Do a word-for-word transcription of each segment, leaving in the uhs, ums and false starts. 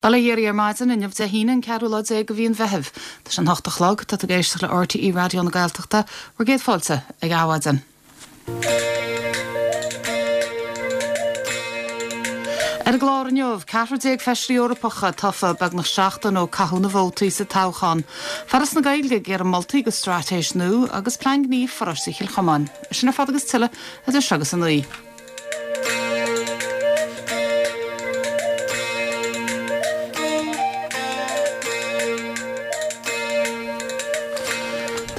Bail ó Dhia oraibh ar maidin inniu Dé hAoine an ceathrú lá déag de mhí an Mheithimh. Tá sé an hocht a chlog, tá tú ag éisteacht le RTÉ Raidió na Gaeltachta, bhur gcéad fáilte ag Adhmhaidin. Ar an gclár inniu, ceathrar déag feisirí Eorpacha tofa beagnach seachtain ó caitheadh na vótaí sa toghchán. Foras na Gaeilge ag iarraidh moltaí do straitéis nua agus plean gnímh pharóiste Chill Chomáin. Sin ar fad agus tuilleadh idir seo agus a naoi.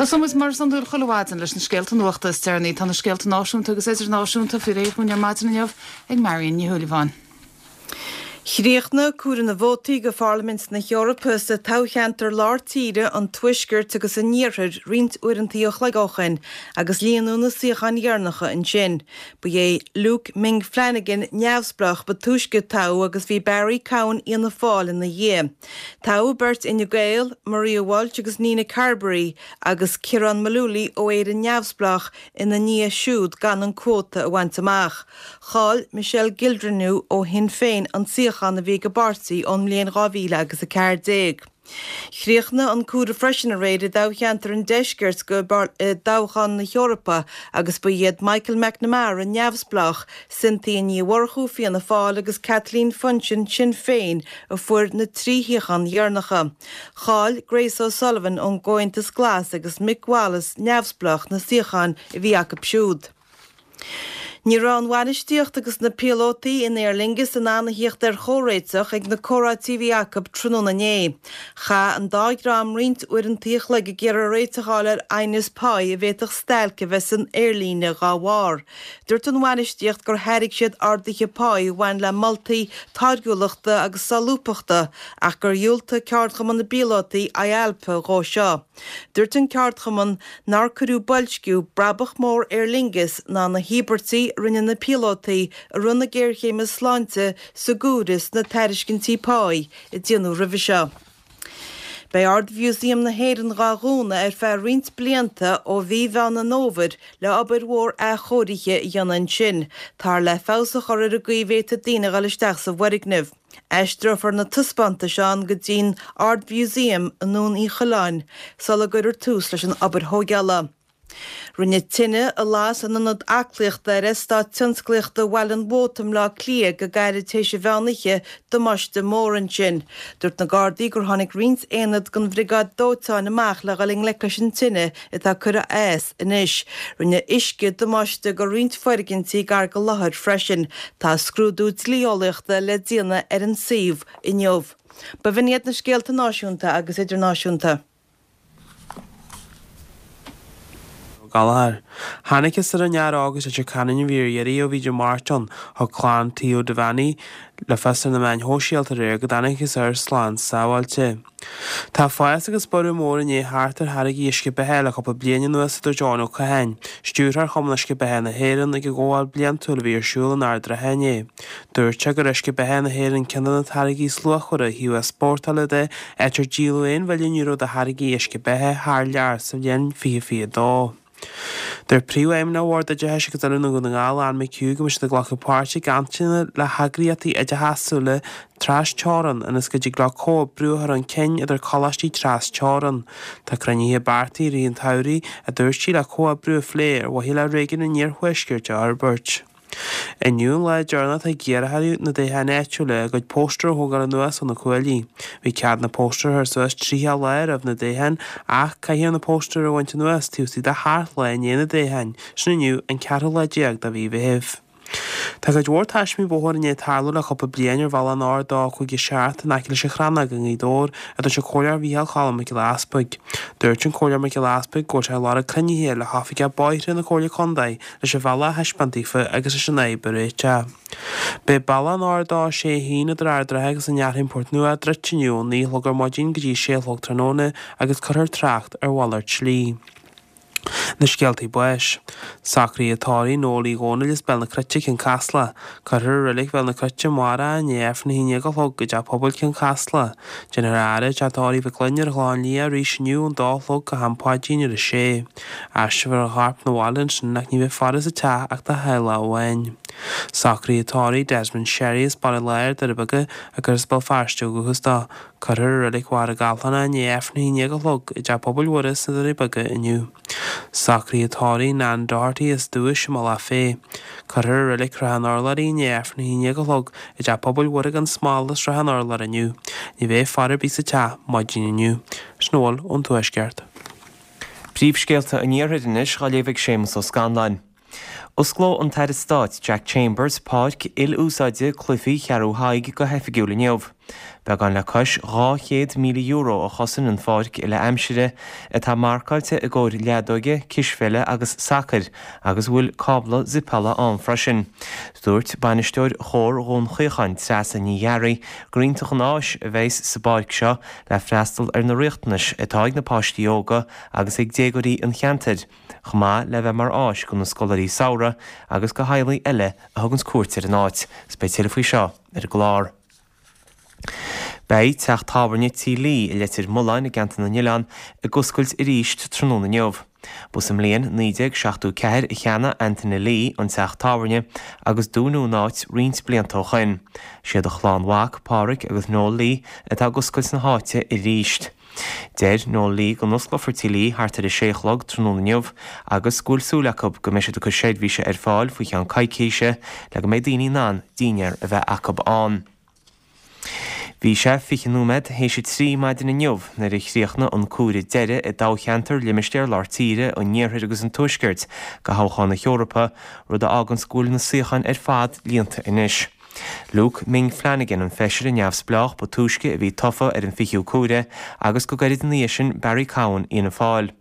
Tosóidh muid mar is iondúil chuile mhaidin leis na scéalta nuachta is deireanaí. Tá na scéalta náisiúnta agus idirnáisiúnta faoi réir dhúinn ar maidin inniu ag Marion Ní Shúilleabháin. Chríochnaigh comhaireamh na vótaí go Pharlaimint na hEorpa sa toghcheantar lár tíre, an Tuaiscirt agus an Iarthair roinnt uaireanta a chloig ó shin agus líonadh na suíocháin dheireanacha ansin. Ba é Luke Ming Flanagan, neamhspleách, ba túisce a toghadh agus bhí Barry Cowen Fhianna Fáil ina dhiaidh. Toghadh beirt Fhine Gael, Maria Walsh agus Nina Carberry, agus Ciarán Mullooly ó Éire Neamhspleách ina ndiaidh siúd gan an cuóta a bhaint amach. Chaill Michelle Gildernew ó Shinn Féin an suíochán a bhí ag an bpáirtí ón mbliain dhá mhíle agus a ceathair déag. Chríochnaigh an comhaireamh freisin aréir i dtoghcheantar an Deiscirt go dtoghchán na hEorpa agus ba iad Michael McNamara, Neamhspleách, Cynthia Ní Mhurchú, Fianna Fáil, agus Kathleen Funchion, Sinn Féin, a fuair na trí shuíochán dheireanacha. Chaill Grace O'Sullivan ón gComhaontas Glas agus Mick Wallace, Neamhspleách, na suíocháin a bhí acu siúd. Ní raibh an bhainistíocht agus na píolótaí in Aer Lingus in ann a thíocht ar chomhréiteach ag na comhráití a bhí acu tráthnóna inné. Chaith an dá dhream roinnt uaireanta a chloig ag iarraidh réiteach a fháil ar aighneas páí a bhféadfadh stailc a bheith san aerlíne dhá bharr. Dúirt an bhainistíocht gur thairg siad arduithe páí a bhain le moltaí táirgiúlachta agus solúbthachta ach gur dhiúltaigh ceardchumann na bpíolótaí, IALPA, dhó seo. Dúirt an ceardchumann nár cuireadh boilsciú, brabach mór Aer Lingus ná na híobairtí a rinne na píolótaí i rith na géarchéime sláinte sa gcomhaireamh sna tairiscintí páí a déanadh roimhe seo. Beidh Ard-Mhúsaem na hÉireann dhá dhúnadh ar feadh roinnt blianta ó mhí Mheán an Fhómhair le obair mhór athchóirithe a dhéanamh ansin. Táthar le feabhas a chur ar an gcaoi a bhféadfaidh daoine a dhul isteach sa bhfoirgneamh. Aistreofar na taispeántais ann go dtí'n Ard-Mhúsaem i nDún Uí Choileáin sula gcuirfear tús leis an obair thógála. Rinne tine a las in ionad aclaíochta ar Eastát Tionsclaíochta Bhaile an Mhóta i mBleá Cliath go gairid tar éis an mheán oíche damáiste mór ansin. Dúirt na Gardaí gur tháinig roinnt aonad den bhriogáid dóiteáin amach le dhul i ngleic leis an tine atá curtha as anois. Rinne uisce damáiste go roinnt foirgintí gar go láthair freisin. Tá scrúdú dlí-eolaíochta le déanamh ar an suíomh inniu. B'in iad na scéalta náisiúnta agus idirnáisiúnta. Gallchóir. Thángthas ar an fhear óg as Leitir Ceanainn a bhí ar iarraidh ó bhí Dé Máirt ann. Thug clann Theo Devaney le fios ar na meáin shóisialta aréir go dtángthas air slán sábháilte. Tá fás agus borradh mór i ndiaidh theacht ar tháirgí uisce beatha le cúpla bliain anuas, a dúirt Eoin Ó Catháin, Stiúrthóir Chumann Uisce Beatha na hÉireann ag an gcomhdháil bliantúil a bhí ar siúl in Ard an Rátha inné. Dúirt sé gur uisce beatha na hÉireann ceann de na táirgí is luachmhaire ó thaobh easpórtála de, áit ar díoladh aon mhilliún euro de tháirgí uisce beatha thar lear sa bhliain fiche fiche dó. Dúirt Príomhfheidhmeannach Bhord Oideachais agus Oiliúna Dhún na nGall, Anne McHugh, go mbeidh siad ag glacadh páirte i gcainteanna le heagraíochtaí oideachasúla tras teorann ionas go dtig leo comhoibriú a chur chun cinn idir coláistí tras teorann. Tá cruinnithe beartaithe i rith an tsamhraidh, a dúirt sí, le comhoibriú a phlé ar mhaithe le réigiún an Iarthuaiscirt a fhorbairt. Inniu an lá deireanach atá ag iarrthóirí na dtoghchán áitiúla a gcuid póstaer a thógáil anuas ó na cuaillí. Bhí cead na póstaeir a chur suas tríocha lá roimh na toghcháin ach caithfear na póstaeir a bhaint anuas taobh istigh de sheacht lá i ndiaidh na dtoghchán, sin inniu an ceathrú lá déag de mhí Mheithimh. Tá cuid mhór taismí bóthair i ndiaidh tarlú le cúpla bliain ar bhealach an R dó cúig a seacht in aice leis an Chrannóg i nGaoth Dobhair, a dúirt an Comhairleoir Mhícheál Cholm Mac Giolla Easpaig. Dúirt an Comhairleoir Mac Giolla Easpaig go bhfuil sé ag lorg cruinnithe le hoifigeach bóithre na Comhairle Contae leis an bhealach a thaispeáint daofa agus leis an fhadhb a réiteach. Beidh bealach an R dó sé a haon idir Ard an Rátha agus an Fhearthainn Port Nua druidte inniu ó naoi a chlog ar maidin go dtí a sé a chlog tráthnóna agus cuirfear trácht ar mhalairt slí. Na scéaltaí báis. Socruithe tórraimh Noel Uí Dhónaill as Béal na Cruite, Cionn Caslach. Cuirfear i Reilig Bhéal na Cruite amárach i ndiaidh Aifreann a haon déag a chlog i dTeach Pobail Cionn Caslach. Déanfar faire i dTeach Tórraimh Mhic Fhloinn ar an Chlochán Liath arís inniu ón dó a chlog go ham paidrín ar a sé. Aistreofar a chorp 'na bhaile ansin ach ní bheidh faire sa teach ach dá theaghlach amháin. Socruithe tórraimh Desmond Sherry as Baile Láir, Doirí Beaga, agus as Béal Feirste ó dhúchas dó. Cuirfear i Reilig Mhachaire Gathlán é i ndiaidh Aifreann a haon déag a chlog i dTeach Pobail Mhuire sna Doirí Beaga inniu. Socruithe tórraimh Nan Doherty as Dubhais i mBealach Féich. Cuirfear i Reilig Shrath an Urláir í i ndiaidh Aifreann a haon déag a chlog i dTeach Pobail Mhuire gan Smál i Srath an Urláir inniu. Ní bheidh faire ar bith sa teach maidin inniu. Sin a bhfuil ón Tuaisceart. Príomhscéalta an Iarthair anois á léamh ag Séamus Ó Scanláin. Osclóidh an tAire Stáit Jack Chambers páirc il-úsáide cluichí Cheathrú Thaidhg go hoifigiúil inniu. Beagán le cois dhá chéad míle euro a chosain an pháirc uile-aimsire atá marcáilte i gcomhair leadóige, cispheile agus sacair agus a bhfuil cábla zipeála ann freisin. Dúirt bainisteoir Chomhar Dhún Chaocháin Treasa Ní Ghearraigh gur iontach an áis a bheas sa bpáirc seo le freastal ar na riachtanais atá ag na páistí óga agus ag déagóirí an cheantair, chomh maith le bheith mar áis do na scoláirí samhraidh agus do theaghlaigh eile a thuganns cuairt ar an áit. Is beidh tuilleadh faoi seo ar an gclár. Beidh teach tábhairne Tí Lee i Leitir Mealláin i gCeantar na nOileán ag oscailt arís tráthnóna inniu. Ba sa mbliain naoi déag seachtó ceathair a cheannaigh Anthony Lee an teach tábhairne agus dúnadh an áit roinnt blianta ó shoin. Siad a chlann mhac, Pádraig agus Noel Lee, atá ag oscailt na háite arís. Deir Noel Lee go n-osclófar Tí Lee thart ar a sé a chlog tráthnóna inniu agus go bhfuil súil acu go mbeidh siad ag cur seirbhíse ar fáil faoi cheann coicíse le go mbeidh daoine in ann dinnéar a bheith acu ann. Bhí sé fiche nóiméad théis a trí maidin inniu nuair a chríochnaigh an comhaireamh deiridh i dtoghcheantar Limistéar Lár Tíre, an Iarthair agus an Tuaiscirt do thoghchán na hEorpa, rud a fháganns go bhfuil na suíocháin ar fad líonta anois. Luke Ming Flanagan an feisire neamhspleách ba túisce a bhí tofa ar an fichiú comhaireamh agus go gairid ina dhiaidh sin Barry Cowen Fhianna Fáil.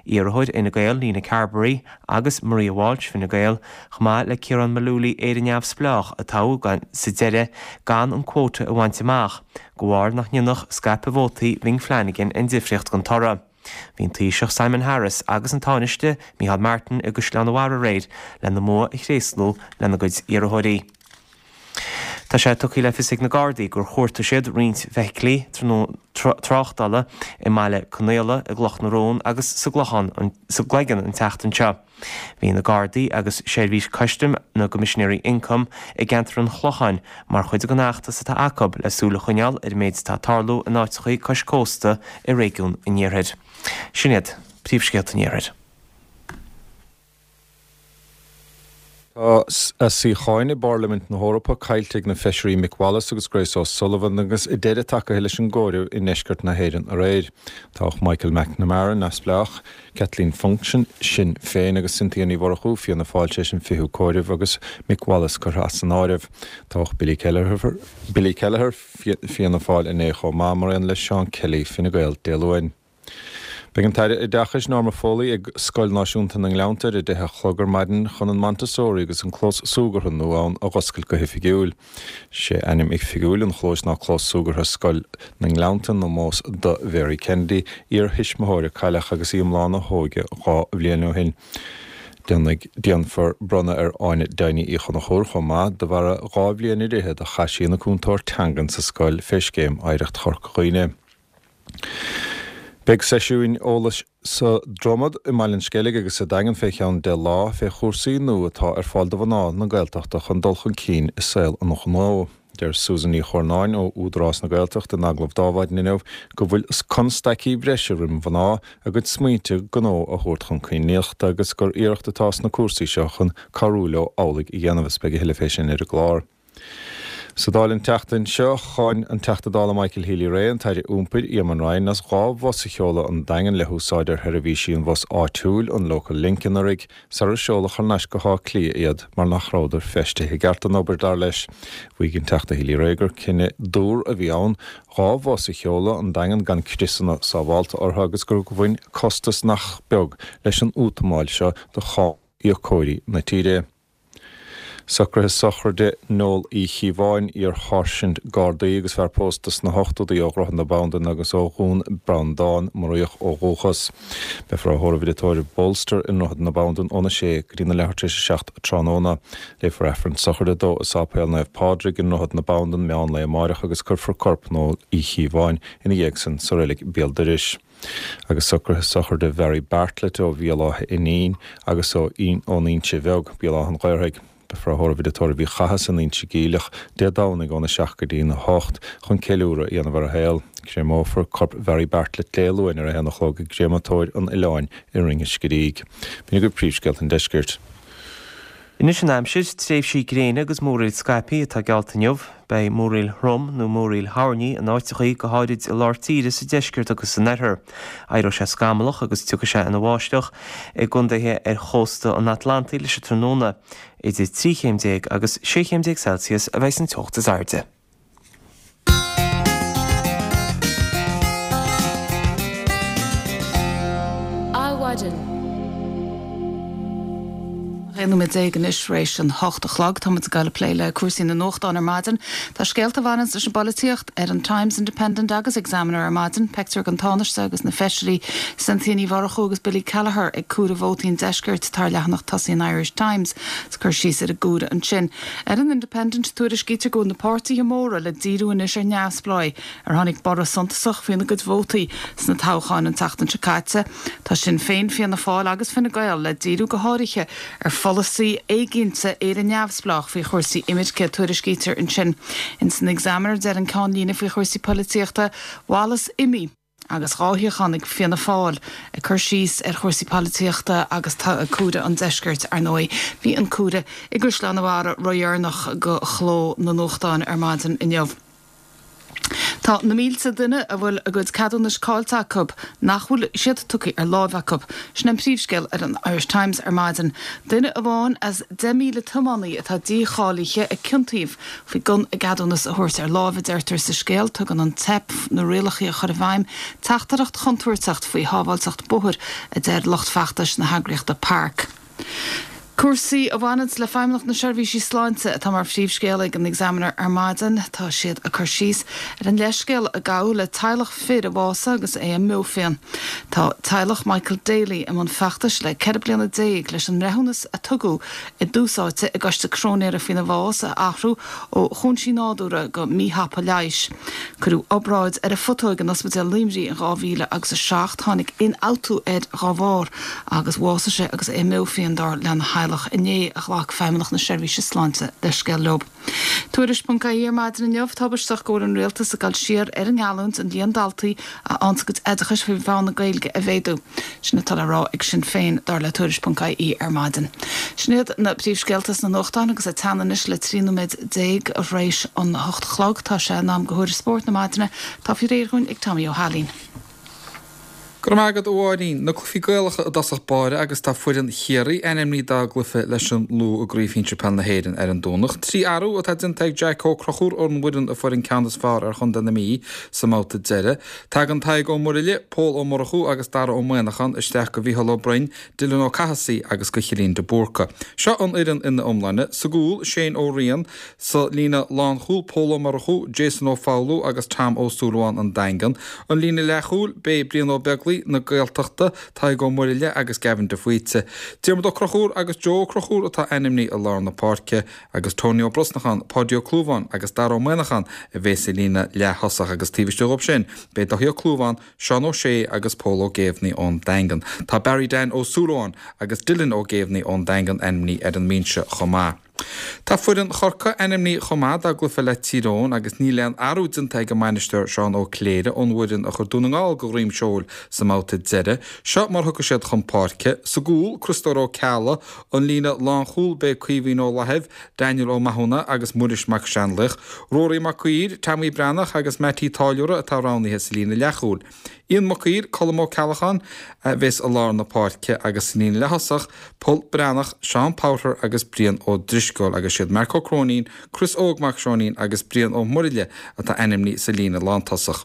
Iarrthóir Fhine Gael Nina Carberry agus Maria Walsh Fine Gael, chomh maith le Ciarán Mullooly Éire Neamhspleách a toghadh sa deireadh gan an quota a bhaint amach, de bharr nach ndéanfadh scaipeadh vótaí Mhing Flanagan aon difríocht don toradh. Bhí an Taoiseach Simon Harris agus an Tánaiste Micheál Martin i gCaisleán an Bharraigh aréir lena mbua a thréaslú lena gcuid iarrthóirí. Tá sé tugtha le fios ag na Gardaí gur chuartaigh siad roinnt feithiclí tráchtála i mBaile Conaola, i gCloch na Rón agus sa gClochán sa gCloigeann an tseachtain seo. Bhí na Gardaí agus seirbhís custaim na gCoimisinéirí Ioncaim i gceantar an Chlocháin mar chuid den fheachtas atá acu le súil a choinneáil ar an méid atá ag tarlú in áiteachaí cois cósta i réigiún an Iarthair. Sin iad príomhscéalta an Iarthair. Tá a suíocháin i bParlaimint na hEorpa caillte ag na feisirí Mick Wallace agus Grace O'Sullivan agus deireadh tagtha leis an gcomhaireamh i ndeisceart na hÉireann aréir. Toghadh Michael McNamara, Neamhspleách, Kathleen Funchion, Sinn Féin agus Cynthia Ní Mhurchú, Fianna Fáil tar éis an fichiú comhaireamh agus Mick Wallace curtha as an áireamh. Toghadh Billy Kelleher, Billy Kelleher, Fianna Fáil inné chomh maith mar aon le Seán Kelly, Fine Gael, Dé Luain. Beidh an tAire Oideachais Norma Foley ag Scoil Náisiúnta na nGleannta ar a deich a chlog ar maidin chun an Montessori agus an clós súgartha nua ann a dh'oscailt go hoifigiúil. Sé ainm oifigiúil an chlóis ná Clós Súgartha Scoil na nGleannta in ómós do Mhary Kennedy, iar-thuismitheoir a cailleadh agus í i mbláth na hóige dhá bhliain ó shin. Déanfaidh déanfar bronnadh ar Áine Deimhní Uí Chonchúir chomh maith de bharr dhá bhliain ar fhichead a chaith sí ina cúntóir teangan sa scoil fé scéim Oidhreacht Chorca Dhuibhne. Beidh seisiúin eolais sa Dromad i mBaile an Sceilg agus sa Daingean fé cheann deich lá fé chúrsaí nua atá ar fáil do mhná na Gaeltachta chun dul chun cinn i saol an ghnó. Deir Susan Ní Chornáin ó Údarás na Gaeltachta in agallamh d'Adhmhaidin inniu go bhfuil constaicí breise roimh mhná a gcuid smaointe gnó a thabhairt chun críochta agus gur iarracht atá sna cúrsaí seo chun cabhrú leo amhlaidh a dhéanamh is beidh a thuilleadh fé sin ar an gclár. Sa Dáil an tseachtain seo, cháin an Teachta Dála Michael Healy-Rae an tAire Iompair Eamon Ryan as dhá bhus a sheoladh 'on Daingean le húsáid ar sheirbhísí an bhus áitiúil, an Local Link anuraidh, sarar seoladh thar n-ais go hÁth Cliath iad mar nach rabhadar feistithe i gceart don obair, dar leis. Mhaígh an Teachta Healy-Rae gur cinneadh dúr a bhí ann dhá bhus a sheoladh 'on Daingean gan criosanna sábhálta orthu agus gur bhain costas nach beag leis an útamáil seo do cháiníocóirí na tíre. Socruithe sochraide Noel Uí Chíobháin, iar-sháirsint Gardaí agus fear pósta sna hochtóidí ó Dhroichead na Bandan agus ó Dhún Breandán, Muraíoch ó dhúchas. Beifear á thórramh i dtigh tórraimh Bolster i nDroichead na Bandan óna sé go dtí na leathuair tar éis a seacht tráthnóna. Léifear Aifreann sochraide dó i Sáipéal Naomh Pádraig i nDroichead na Bandan meán lae amáireach agus cuirfear corp Noel Uí Chíobháin ina dhiaidh san sa reilig béal dorais. Agus socruithe sochraide Mhary Bartlett ó Bhéal Átha Fhínín agus ó ón Inse Bheag, Béal Átha an Ghaorthaidh. Beifear á thórramh i dtigh tórraimh Uí Chathasaigh san Inse Geimhleach Dé Domhnaigh óna seacht go dtí a hocht chun ceiliúradh a dhéanamh ar a shaol. Créamófar corp Mhary Bartlett Dé Luain ar a haon a chlog i gcréamatóir an oileáin i Rinn an Sceirígh. B'in agaibh príomhscéalta an deiscirt. Anois an aimsir, tréimhsí gréine agus múraíl scaipthe atá geallta inniu. Beidh múraíl throm nó múraíl thoirní in áiteachaí, go háirid i lár tíre, sa deisceart agus san oirthear. Éireoidh sé scamallach agus tiocfaidh sé ina bháisteach i gcontaetha ar chósta an Atlantaigh leis an tráthnóna. Idir trí chéim déag agus sé chéim déag Celsius a bheidh san teocht is airde. Adhmhaidin. Aon nóiméad déag anois tar éis an hocht a chlog. Táimid ag dul ag plé le cúrsaí na nuachtán ar maidin. Tá scéalta a bhaineanns leis an bpolaitíocht ar an Times, Independent agus Examiner ar maidin. Pictiúr den Tánaiste agus na feisirí Cynthia Ní Mhurchú agus Billy Kelleher ag comhaireamh vótaí an Deiscirt atá ar leathanach tosaigh an Irish Times. Is cur síos ar an gcomhaireamh ansin. Ar an Independent, tuairiscítear go bhfuil na páirtithe móra le díriú anois ar neamhspleáigh ar tháinig borradh suntasach faoina gcuid vótaí sna toghcháin an tseachtain seo caite. Tá Sinn Féin, Fianna Fáil agus Fine Gael le díriú go háirithe ar pholasaí éiginnte Éire Neamhspleách faoi chúrsaí imirce, tuairiscítear ansin. Ins an Examiner, deir an ceannlíne faoi chúrsaí polaitíochta, Wallace imigh agus dhá shuíochán ag Fianna Fáil, ag cur síos ar chúrsaí polaitíochta agus comhaireamh an deiscirt, ar ndóigh. Bhí an comhaireamh i gCaisleán an Bharraigh ródheireanach do chló na nuachtán ar maidin inniu. Tá na mílte duine a bhfuil a gcuid ceadúnais caillte acu nach bhfuil siad tugtha ar láimh acu. Sin an príomhscéal ar an Irish Times ar maidin. Duine amháin as deich míle tiománaí atá dícháilithe a ciontaíodh faoi gan a gceadúnas a thabhairt ar láimh, a deirtear sa scéal. Tugann an teip na rialacha a chur i bhfeidhm teachtaireacht chontúirteach faoi shábháilteacht bóthair, a deir lucht feachtais na heagraíochta Park. Cúrsaí a bhaineanns le Feidhmeannacht na Seirbhísí Sláinte atá mar phríomhscéal ag an Examiner ar maidin. Tá siad ag cur síos ar an leithscéal a gabhadh le teaghlach fir a bhásaigh agus é i mbeophian. Tá teaghlach Michael Daly i mbun feachtais le ceithre bliana déag leis an mbreithiúnas a tugadh i dtús áite i gcoiste cróinéara faoina bhás a athrú ó chúinsí nádúrtha go míthapa leighis. Cuireadh obráid ar a phutóig in Ospidéal Luimnigh in dhá mhíle agus a seacht. Tháinig ionfhabhtú air dá bharr agus bhásaigh sé agus é i mbeophian dar lena theaghlach. Inné a ghlac Feidhmeannacht na Seirbhíse Sláinte leithscéal leo. Tuairisc ponc ie ar maidin inniu, Tubaisteach go bhfuil an rialtas ag dul siar ar an ngeallúint an líon daltaí a fhaigheanns a gcuid oideachais faoi mheán na Gaeilge a mhéadú. Sin atá le rá ag Sinn Féin, dar le Tuairisc ponc ie ar maidin. Sin iad na príomhscéalta sna nuachtáin agus ag teannadh anois le trí nóiméad déag tar éis an hocht a chlog. Tá sé in am do thuairisc spóirt na maidine. Tá faoi réir dhúinn ag Tommy Ó hAilín. Go raibh maith agat a Mháirín. Na cluichí Gaelacha i dtosach báire agus tá foireann Chiarraí ainmnithe dá gcluiche leis an Lú i gCraobh Shinsir Peile na hÉireann ar an Domhnach. Trí athrú atá déanta ag Jack Ó Conchúir ón bhfoireann a fuair an ceann is fearr ar chontae na Mí sa mbabhta deiridh. Tagann Tadhg Ó Muirthile, Pól Ó Murchú agus Dara Ó Muimhneacháin isteach do Mhícheál Ó Broin, Dylan Ó Cathasaigh agus do Chillín de Búrca. Seo an fhoireann ina iomláine. Sa gcúl, Shane Ó Riain, sa líne lánchúil, Pól Ó Murchú, Jason Ó Foghlú agus Tom Ó Súilleabháin an Daingean. An líne leathchúil, beidh Brian Ó Beaglaoi na Gaeltachta, Tadhg Ó Muirthile agus Gavin de Faoite. Diarmuid Ó Conchúir agus Joe Ó Conchúir atá ainmnithe i lár na páirce agus Tony Ó Brosnacháin, Páidí Ó Clúmháin agus Dara Ó Muimhneacháin a bheas sa líne leath-thosach agus taobh istigh dhóibh sin beidh Daithí Ó Clúmháin, Seán Ó Sé agus Pól Ó Géibheannaigh ón Daingean. Tá Barry Dan Ó Súilleabháin agus Dylan Ó Géibheannaigh ón Daingean ainmnithe ar an mbinse chomh maith. Tá foireann Chorcaí ainmnithe chomh maith dá gcluiche le Tír Eoghain agus níl aon athrú déanta ag an mbainisteoir Seán Ó Cléirigh ón bhfoireann a chuir Dún na nGall go dhroim seoil sa mbabhta deiridh. Seo mar a thiocfaidh siad chun páirce, sa gcúl, Criostóir Ó Ceallaigh, an líne lánchúil beidh Caoimhín Ó Laithimh, Daniel Ó Mathúna agus Muiris Mac Seanlaoich, Ruairí Mac Uidhir, Tommy Breathnach agus Mattie Táilliúra atá roghnaithe sa líne leathchúil. Ian Mac Uidhir, Colm Ó Ceallacháin a bheas i lár na páirce agus sa líne leath-thosach, Pól Breathnach, Seán Powter agus Brian Ó Drisceoil. Drisceoil agus siad Marc Ó Cróinín, Chris Óg Mac Seoinín agus Brian Ó Muraile atá ainmnithe sa líne lántosach.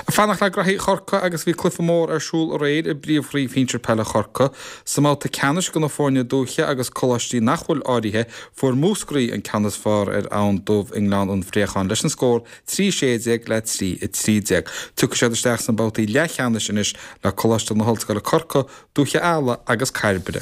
Ag fanacht le graithí Chorcaí agus bhí cluiche mór ar siúl aréir i bpríomhchraobh shinsir peile Chorcaí. Sa mbabhta ceannais do na foirne dúiche agus coláistí nach bhfuil áirithe, fuair Múscraí an ceann is fearr ar Abhainn Dubh i nGleann an Phréacháin leis an scór trí sé déag le trí a trí déag. Tiocfaidh siad isteach sna babhtaí leathcheannais anois le Coláiste na hOllscoile Corcaigh, Dúiche Ealla agus Cairbre.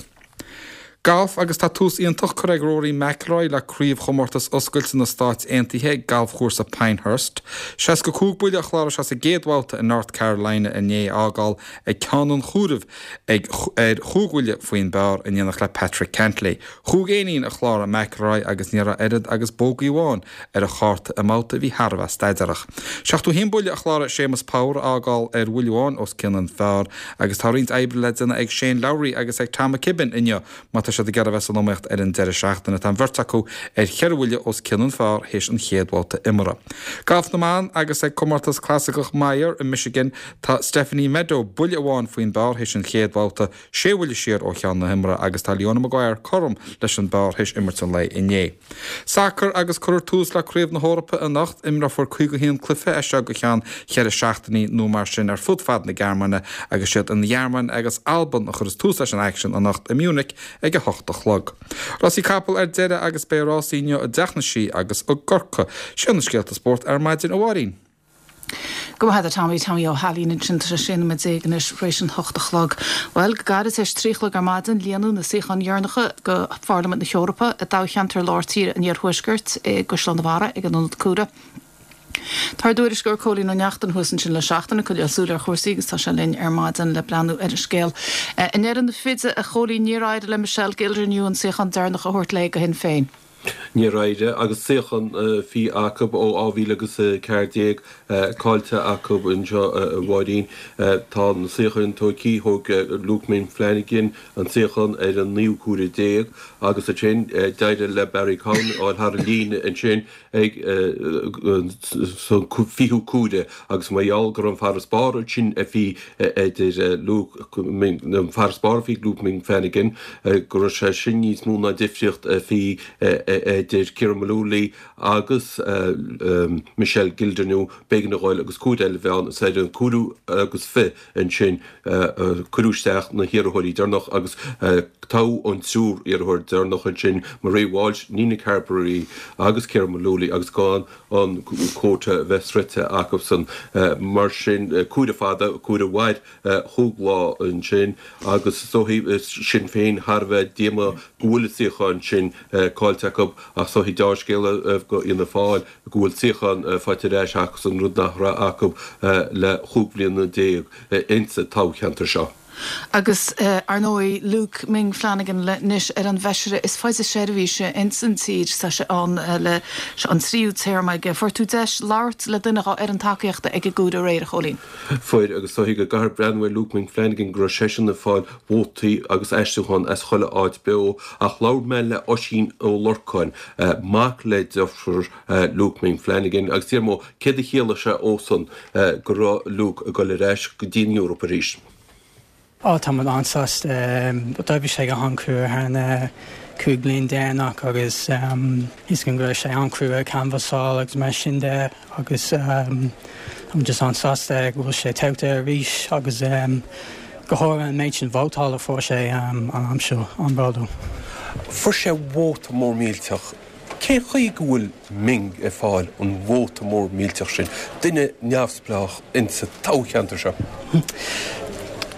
Galf agus tá tús iontach curtha ag Rory McIlroy le Craobhchomórtas Oscailte na Stáit Aontaithe ag Galfchúrsa Pinehurst. Seasca cúig buille a chláraigh sé sa gcéad bhabhta i North Carolina inné, a fhágáil ag ceann an chomhairimh ag ar chúig bhuille faoin bpar in éineacht le Patrick Cantlay. Chúig éinín a chláraigh McIlroy agus ní raibh oiread agus bógaí amháin ar a chárta i mbabhta a bhí thar a bheith staidéarach. Seachtó haon buille a chláraigh Séamus Power a fhágáil ar bhuille amháin os cionn an phar agus tá roinnt oibre le déanamh ag Shane Lowry agus ag Tom McKibbin inniu má tá siad ag iarraidh a bheith san iomaíocht ar an deireadh seachtaine. Tá an bheirt acu ar cheithre bhuille os cionn an phar théis an chéad bhabhta imeartha. Galf na mBan agus ag Comórtas Clasaiceach Meijer i Michigan tá Stephanie Meadow buille amháin faoin bpar théis an chéad bhabhta, sé bhuille siar ó cheann na himeartha agus tá Leona Maguire cothrom leis an bpar théis imirt an lae inné. Sacar agus cuirfear tús le Craobh na hEorpa anocht, imreofar caoga a haon cluiche as seo go ceann cheithre seachtainí nó mar sin ar fud fad na Gearmáine agus siad an Ghearmáin agus Albain a chuirfeas tús leis an aicsean anocht i Munich ag a hocht a chlog. Rásaí capall ar deireadh agus beidh rásaí inniu i dTeach na Sí agus i gCorcaigh. Sin na scéalta spóirt ar maidin, a Mháirín. Go maith agat Tommy, Tommy Ó hAilín ansin tá sé sé nóiméad déag anois tar éis an hocht a chlog. Bhuel, go gairid tar éis trí a chlog ar maidin, líonadh na suíocháin dheireanacha go Pharlaimint na hEorpa i dtoghcheantar lár tíre an Iarthuaiscirt i gCaisleán an Bharraigh ag an Ionad Cuaire. Tá ár dtuairisceoir Cóilín Ó Neachtain thuas ansin le seachtain ag coinneáil súil ar chúrsaí agus tá sé linn ar maidin le breathnú ar an scéal. I ndeireadh na fide, a Chóilín, níor éirigh le Michelle Gildernew an suíochán deireanach a thabhairt léi go Shinn Féin. Níor éirigh, agus suíochán a bhí acu ó dhá mhíle agus a ceathair déag caillte acu anseo, a Mháirín. Tá na suíocháin tógtha, thóg Luke Ming Flanagan an suíochán ar an naoú cuaire déag agus ansin d'éirigh le Barry Cowen a fháil thar an líne ansin ag an fichiú cuaire agus mar gheall go raibh an farasbarr ansin a bhí idir Luke Ming, an farasbarr a bhí ag Luke Ming Flanagan, go raibh sé sin níos mó ná difríocht a bhí idir Ciara Mullooly agus Michelle Gildernew, b'éigean a ghoil agus cuaire eile a bheith ann is ar an cúigiú agus fiche ansin cuireadh isteach na hiarrthóirí deireanach agus toghadh an triúr iarrthóir deireanach ansin, Marie Walsh, Nina Carberry agus Ciara Mullooly agus gan an quota a bheith sroichte acusan. Mar sin, cuaire fada, cuaire a mhair chúig lá ansin agus is dóichí Sinn Féin thar a bheith díomách go bhfuil an suíochán sin caillte acu ach is dóichí deá-scéala go Fhianna Fáil go bhfuil suíochán faighte ar ais acusan, rud nach raibh acu le chúig bhliana déag insa toghcheantar seo. Agus, ar ndóigh, Luke Ming Flanagan anois ar an bhfeisire is faide seirbhíse ins an tír. Tá sé ann le, seo an tríú téarma aige. Fuair tú deis labhairt le duine dhá fhoireann tacaíochta ag an gcomhaireamh aréir, a Chóilín. Fuair, agus is dóichí go gcaithfear breathnú ar Luke Ming Flanagan go raibh seisean ag fáil vótaí agus aistriúchán as chuile áit beo, ach labhair mé le Oisín Ó Lorcáin, mac le deirfiúr Luke Ming Flanagan, agus d'iarr mé céard a chiallaigh sé dósan go raibh Luke ag dul ar ais go dtí an Eoraip arís. Á, tá muid an-sásta. D'oibrigh sé go han-chrua thar na cúig bliain deireanach agus tá fhios againn go raibh sé an-chrua canbhasáil agus mar sin de agus tá muid just an-sásta go bhfuil sé toghta arís agus go háirithe an méid sin vótála a fuair sé an am seo, an-bhródúil. Fuair sé vóta mór millteach. Cén chaoi go bhfuil Ming ag fáil an vóta mór millteach sin, duine neamhspleách insa toghcheantar seo?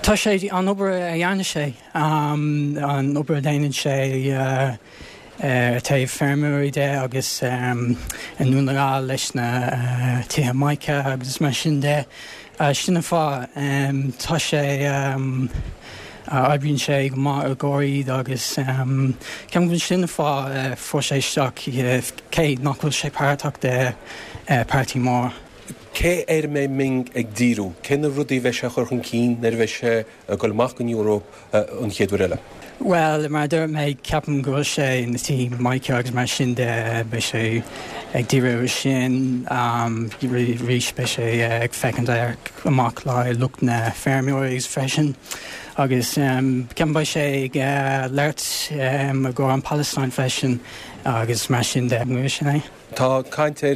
Tá sé, an obair a dhéanann sé, an obair a dhéanann sé ar taobh feirmeoirí de agus i nDún na nGall leis na tithe mica agus mar sin de, sin an fáth. Tá sé. Oibríonn sé go maith i gcomhair iad agus ceapaim go bhfuil sin an fáth a fuair sé isteach, cé nach bhfuil sé páirteach de páirtí mór. Cé air a mbeidh Ming ag díriú? Cé na rudaí a bheidh sé a chur chun cinn nuair a bheidh sé ag dul amach don Eoraip an chéad uair eile? Bhuel, mar a dúirt mé, ceapaim go bhfuil sé na tí Michael agus mar sin de, beidh sé ag díriú air sin arís, beidh sé ag féachaint amach le lucht na feirmeoirí freisin agus ceapaim beidh sé ag labhairt i gcomhair an Palestine freisin agus mar sin de, sin é. Tá caint ar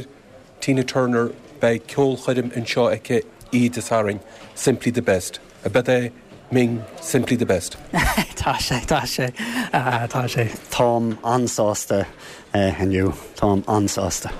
Tina Turner, beidh ceolchoirm anseo aici oíche Dé Sathairn, Simply the Best. Ab é Ming simply the best? Tá sé, tá sé, tá sé. Táim an-sásta inniu, táim an-sásta.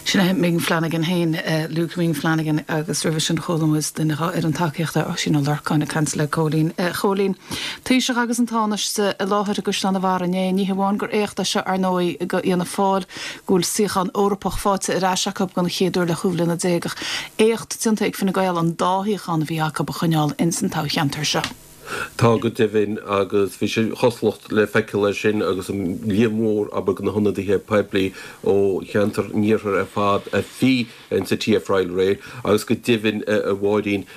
Sin é Ming Flanagan féin, Luke Ming Flanagan agus roimhe sin chuala muid duine ar an tacaíochta Oisín Ó Lorcáin ag caint le Cóilín. Chóilín, Taoiseach agus an Tánaiste i láthair i gCaisleán an Bharraigh inné, ní hamháin gur éacht é seo ar ndóigh do Fhianna Fáil go bhfuil suíochán Eorpach faighte ar ais acu den chéad uair le chúig bhliana déag ach éacht déanta ag Fine Gael an dá shuíochán a bhí acu a choinneáil ins an toghcheantar seo. Tá go deimhin agus bhí sé chosúlacht le feiceáil air sin agus an líon mór abair de na hionadaithe poiblí ó cheantar an iarthair ar fad a bhí insa TF Royal aréir agus go deimhin a Mháirín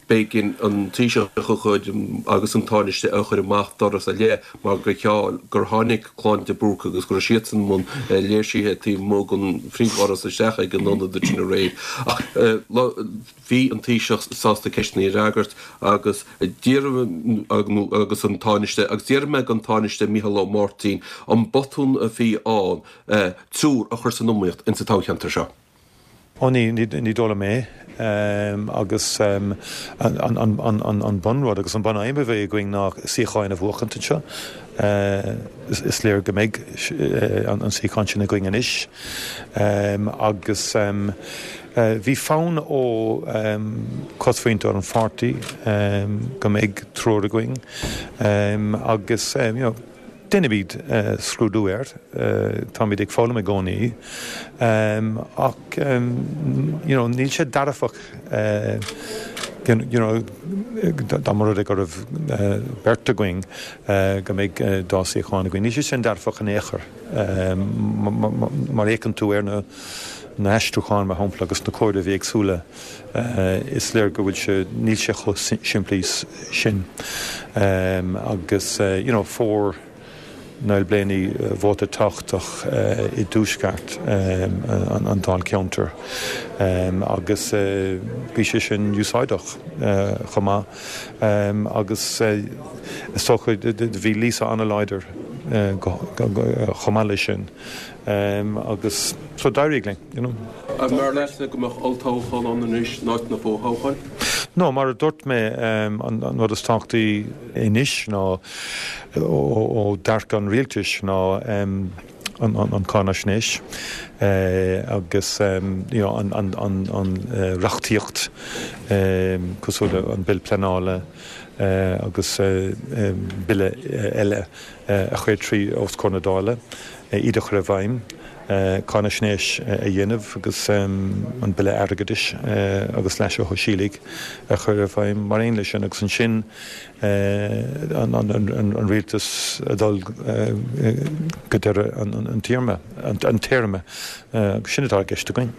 b'éigean an Taoiseach a chur agus an Tánaiste a chur amach doras ar leith mar gur cheal gur tháinig clann de Búrca agus go raibh siadsan i mbun léirsithe taobh amuigh den phríomhdhoras isteach ag an ionad sin aréir. Ach bhí an Taoiseach sásta ceisteanna a fhreagairt agus d'iarr agus an Tánaiste agus d'iarr mé den Tánaiste Micheál Ó Máirtín an botún a bhí ann triúr a chur san iomaíocht insa toghcheantar seo. Ó ní ní dóigh liom é agus an bunrud agus an bunaidhm a bheidh againn ná suíocháin a bhuachaint anseo. Is léir go mbeidh an suíochán sin againn anois agus bhí fonn ó chosmhuintir an pháirtí go mbeidh triúr againn agus you know, déanfaimid scrúdú air, táimid ag foghlaim i gcónaí ach you know, níl sé dearfach you know, dá mba rud é go raibh beirt againn go mbeidh dá suíochán againn. Níl sé sin dearfach in aon chor mar fhéachann tú ar na na haistriúcháin mar shampla agus na comhairimh éagsúla is léir go bhfuil sé níl sé chomh simplí sin agus you know, fuair Niall Blaney vóta tábhachtach i dtuaisceart an dáilcheantair agus bhí sé sin úsáideach chomh maith agus is dócha bhí Lisa an-láidir chomh maith leis sin agus so d'éirigh linn, you know. An mb'fhearr leatsa go mbeadh olltoghchán ann anois in áit na fothoghcháin? No, mar a dúirt mé, an rud is tábhachtaí anois ná ó dearcadh an rialtais ná an cáinaisnéis agus you know, an, an, an, an reachtaíocht cosúil le an Bille Pleanála agus bille eile a chur trí os comhair na Dála, iad a chur i bhfeidhm. cáinaisnéis a dhéanamh agus an Bille Airgeadais agus Leasa Shóisialaigh a chur i bhfeidhm mar aon leis sin agus ansin an rialtas a dhul go deireadh an téarma, an téarma agus sin atá i gceist againn.